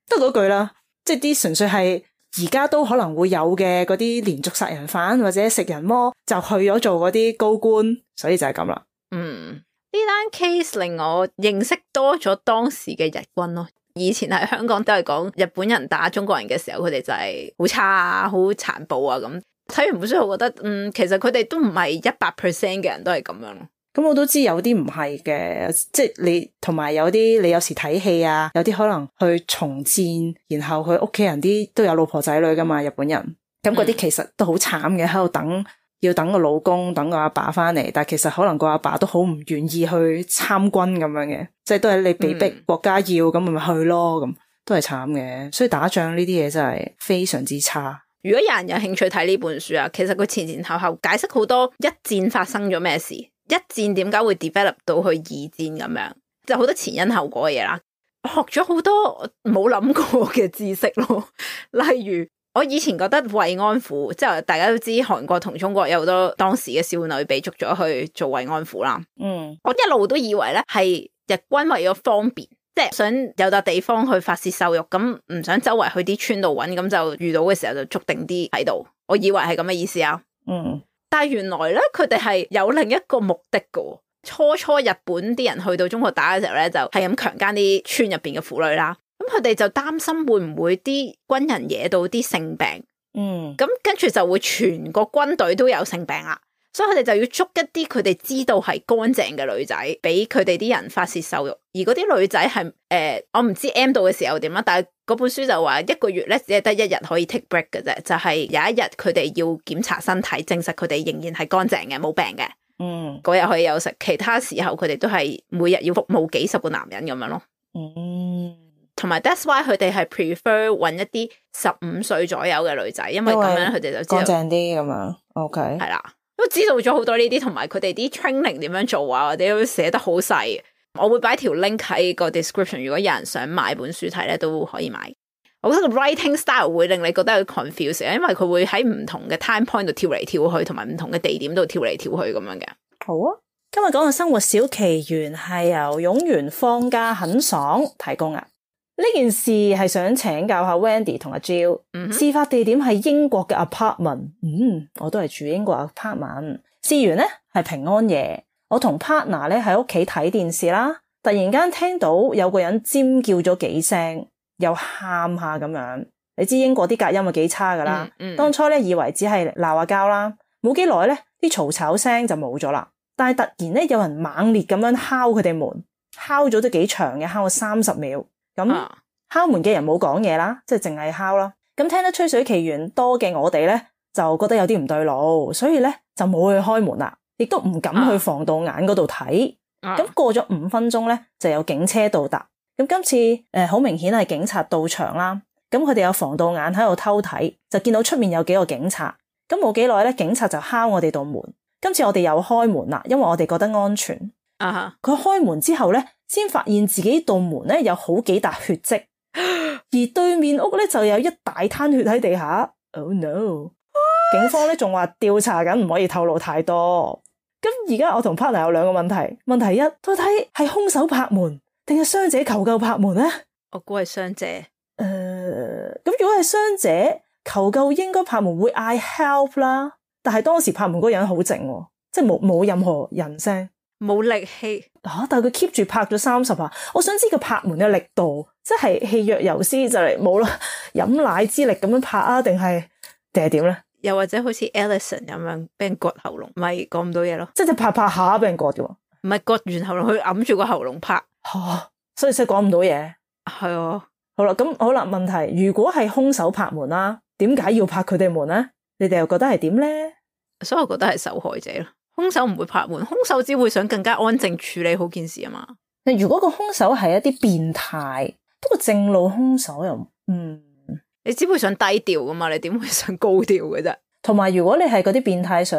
得嗰句啦，即係啲純粹係。而家都可能會有嘅嗰啲連續殺人犯或者食人魔就去咗做嗰啲高官，所以就係咁啦。呢單 case 令我認識多咗當時嘅日軍咯。以前喺香港都係講日本人打中國人嘅時候，佢哋就係好差啊、好殘暴啊咁。睇完本書，我覺得其實佢哋都唔係100% 嘅人都係咁樣咯。咁我都知有啲唔係嘅，即係你同埋有啲你有時睇戲啊，有啲可能去從戰，然後佢屋企人啲都有老婆仔女噶嘛，日本人咁嗰啲其實都好慘嘅，喺度等要等個老公等個阿爸翻嚟，但係其實可能個阿爸都好唔願意去參軍咁樣嘅，即係都係你被逼國家要咁咪去咯，咁都係慘嘅。所以打仗呢啲嘢真係非常之差。如果有人有興趣睇呢本書啊，其實佢前前後後解釋好多一戰發生咗咩事，一戰點解會 develop 到去二戰咁樣，就好多前因後果嘅嘢啦。我學咗好多冇諗過嘅知識咯，例如我以前覺得慰安婦，即係大家都知韓國同中國有好多當時嘅少女被捉咗去做慰安婦啦。我一路都以為咧係日軍為咗方便，即係想有笪地方去發洩獸慾，咁唔想周圍去啲村度揾，咁就遇到嘅時候就捉定啲喺度。我以為係咁嘅意思啊。但係原來咧，佢哋係有另一個目的嘅。初日本啲人去到中國打嘅時候咧，就係咁強姦啲村入邊嘅婦女啦。咁佢哋就擔心會唔會啲軍人惹到啲性病，咁跟住就會全個軍隊都有性病啦。所以佢哋就要捉一啲佢哋知道係乾淨嘅女仔，俾佢哋啲人發洩獸慾。而嗰啲女仔係我唔知 M 到嘅時候點啦，但係嗰本書就話一個月咧只係得1日可以 take break 嘅啫，就係有一日佢哋要檢查身體，證實佢哋仍然係乾淨嘅，冇病嘅。嗰日可以休息，其他時候佢哋都係每日要服務幾十個男人咁樣咯。同埋 that's why 佢哋係 prefer 揾一啲15歲左右嘅女仔，因為咁樣佢哋就知道乾淨啲咁樣。OK， 係啦，都知道咗好多呢啲，同埋佢哋啲 training 點樣做啊，或者都寫得好細。我會擺條 link 喺個 description， 如果有人想買本書睇咧，都可以買。我覺得個 writing style 會令你覺得有 confuse， 因為佢會喺唔同嘅 time point 度跳嚟跳去，同埋唔同嘅地點度跳嚟跳去咁樣嘅。好啊，今日講嘅生活小奇緣係由勇元放假很爽提供啊。呢件事係想請教下 Wendy 同阿 Jill，事發地點係英國嘅 apartment，我都係住英國 apartment。事緣咧係平安夜，我同 partner 咧喺屋企睇電視啦，突然間聽到有個人尖叫咗幾聲，又喊下咁樣。你知英國啲隔音係幾差噶啦，當初咧以為只係鬧下交啦，冇幾耐咧啲嘈吵聲就冇咗啦。但係突然咧有人猛烈咁樣敲佢哋門，敲咗都幾長嘅，敲咗30秒。咁敲門嘅人冇講嘢啦，即係淨係敲啦。咁聽得吹水奇緣多嘅我哋咧，就覺得有啲唔對路，所以咧就冇去開門啦，亦都唔敢去防盜眼嗰度睇。咁過咗5分鐘咧，就有警車到達。咁今次好明顯係警察到場啦。咁佢哋有防盜眼喺度偷睇，就見到出面有幾個警察。咁冇幾耐咧，警察就敲我哋道門。今次我哋又開門啦，因為我哋覺得安全。佢開門之後咧，先發現自己道門咧有好幾笪血跡，而對面屋咧就有一大灘血喺地下。Oh no！ 警方咧仲話調查緊，唔可以透露太多。咁而家我同 partner 有2個問題。問題一，到底係兇手拍門定係傷者求救拍門咧？我估係傷者。咁如果係傷者求救，應該拍門會嗌 help 啦。但係當時拍門嗰人好靜，即係冇任何人聲，冇力氣。但係佢 keep 住拍咗30下。我想知佢拍門嘅力度，即係氣若游絲就嚟冇啦，飲奶之力咁樣拍啊，定係點咧？又或者好似 Ellison 咁樣俾人割喉嚨，咪講唔到嘢咯？即係拍拍下俾人割嘅，唔係割完喉嚨，佢揞住個喉嚨拍，所以真係講唔到嘢。係啊，好啦，咁好啦。問題如果係兇手拍門啦，點解要拍佢哋門咧？你哋又覺得係點咧？所以我覺得係受害者咯。兇手唔會拍門，兇手只會想更加安靜處理好件事啊嘛。如果個兇手係一啲變態，不過正路兇手又你只會想低調噶嘛，你點會想高調嘅啫？同埋如果你係嗰啲變態想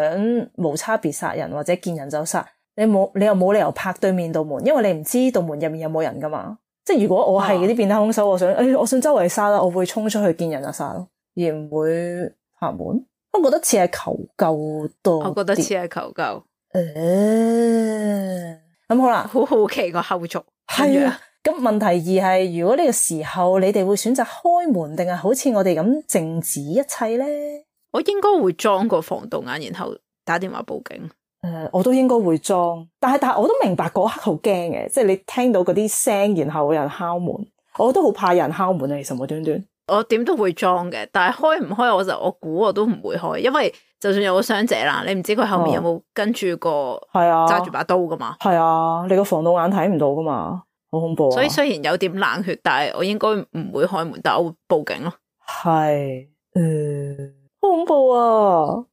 無差別殺人或者見人就殺，你又冇理由拍對面道門，因為你唔知道門入面有冇人噶嘛。即係如果我係嗰啲變態兇手，我想周圍殺啦，我會衝出去見人就殺咯，而唔會拍門。我覺得似係求救多啲。我覺得似係求救。咁好啦，好好奇個後續。係啊，咁問題2係，如果呢個時候你哋會選擇開門，定係好似我哋咁靜止一切咧？我應該會裝個防盜眼，然後打電話報警。我都應該會裝，但係我都明白嗰刻好驚嘅，即係你聽到嗰啲聲，然後有人敲門，我都好怕有人敲門啊！其實無端端。我點都會裝嘅，但係開唔開我估我都唔會開，因為就算有個傷者啦，你唔知佢後面有冇跟住個揸住把刀噶嘛。係啊，你個防盜眼睇唔到噶嘛，好恐怖啊！所以雖然有點冷血，但係我應該唔會開門，但係我會報警咯。係，好恐怖啊！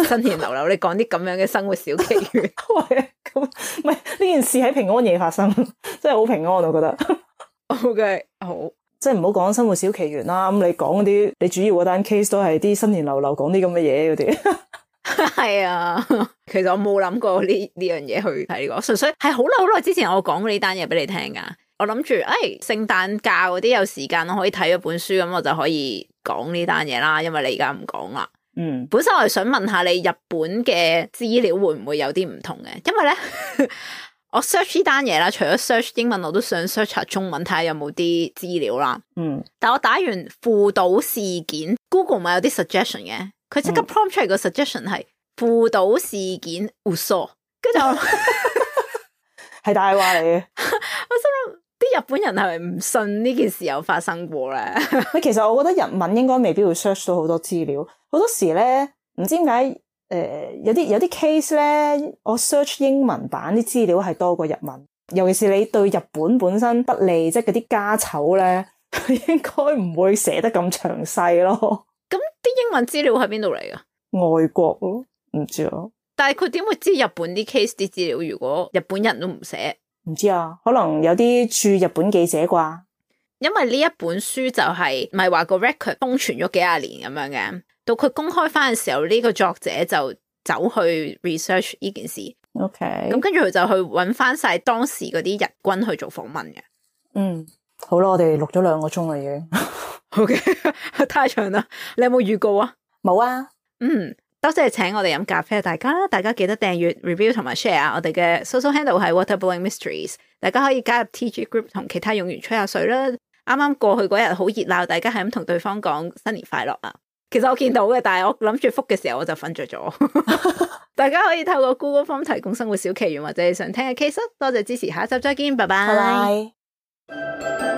新年流流，你講啲咁樣嘅生活小奇緣，喂，咁唔係呢件事喺平安夜發生，真係好平安，我覺得。OK， 好。即係唔好講生活小奇緣啦，咁你講嗰啲，你主要嗰單 case 都係啲新年流流講啲咁嘅嘢嗰啲。係啊，其實我冇諗過呢樣嘢去睇呢個，純粹係好耐之前我講過呢單嘢俾你聽噶。我諗住，聖誕假嗰啲有時間我可以睇咗本書，咁我就可以講呢單嘢啦。因為你而家唔講啦。本身我係想問下你日本嘅資料會唔會有啲唔同嘅，因為咧。我 search 呢單嘢啦，除咗 search 英文，我都想 search 下中文睇下有冇啲資料啦。但我打完輔導事件 ，Google 咪有啲 suggestion 嘅，佢即刻 prompt 出嚟個 suggestion 係輔導事件嘘，跟住我係大話嚟嘅。我心諗啲日本人係咪唔信呢件事有發生過咧？其實我覺得日文應該未必會 search 到好多資料，好多時咧唔知點解有啲 case 咧，我 search 英文版啲資料係多過日文，尤其是你對日本本身不利，即係嗰啲家醜咧，應該唔會寫得咁詳細咯。咁啲英文資料喺邊度嚟噶？外國咯，唔知啊。但係佢點會知日本啲 case 啲資料？如果日本人都唔寫，唔知啊，可能有啲駐日本記者啩。因為呢一本書就係咪話個 record 封存咗幾廿年咁樣嘅，到佢公開翻嘅時候，呢個作者就走去 research 呢件事。OK， 咁跟住佢就去揾翻晒當時嗰啲日軍去做訪問嘅。好啦，我哋錄咗2個鐘啦已經。OK， 太長啦。你有冇預告啊？冇啊。多謝請我哋飲咖啡，大家記得訂閱、review 同埋 share。我哋嘅 social handle 係 Waterblowing Mysteries， 大家可以加入 TG group 同其他用戶吹下水啦。啱啱過去嗰日好熱鬧，大家係咁同對方講新年快樂啊！其實我見到嘅，但係我諗住覆嘅時候我就瞓着咗。大家可以透過 Google Form 提供生活小奇懸或者你想聽嘅 case。多謝支持，下一集再見，拜拜。拜拜。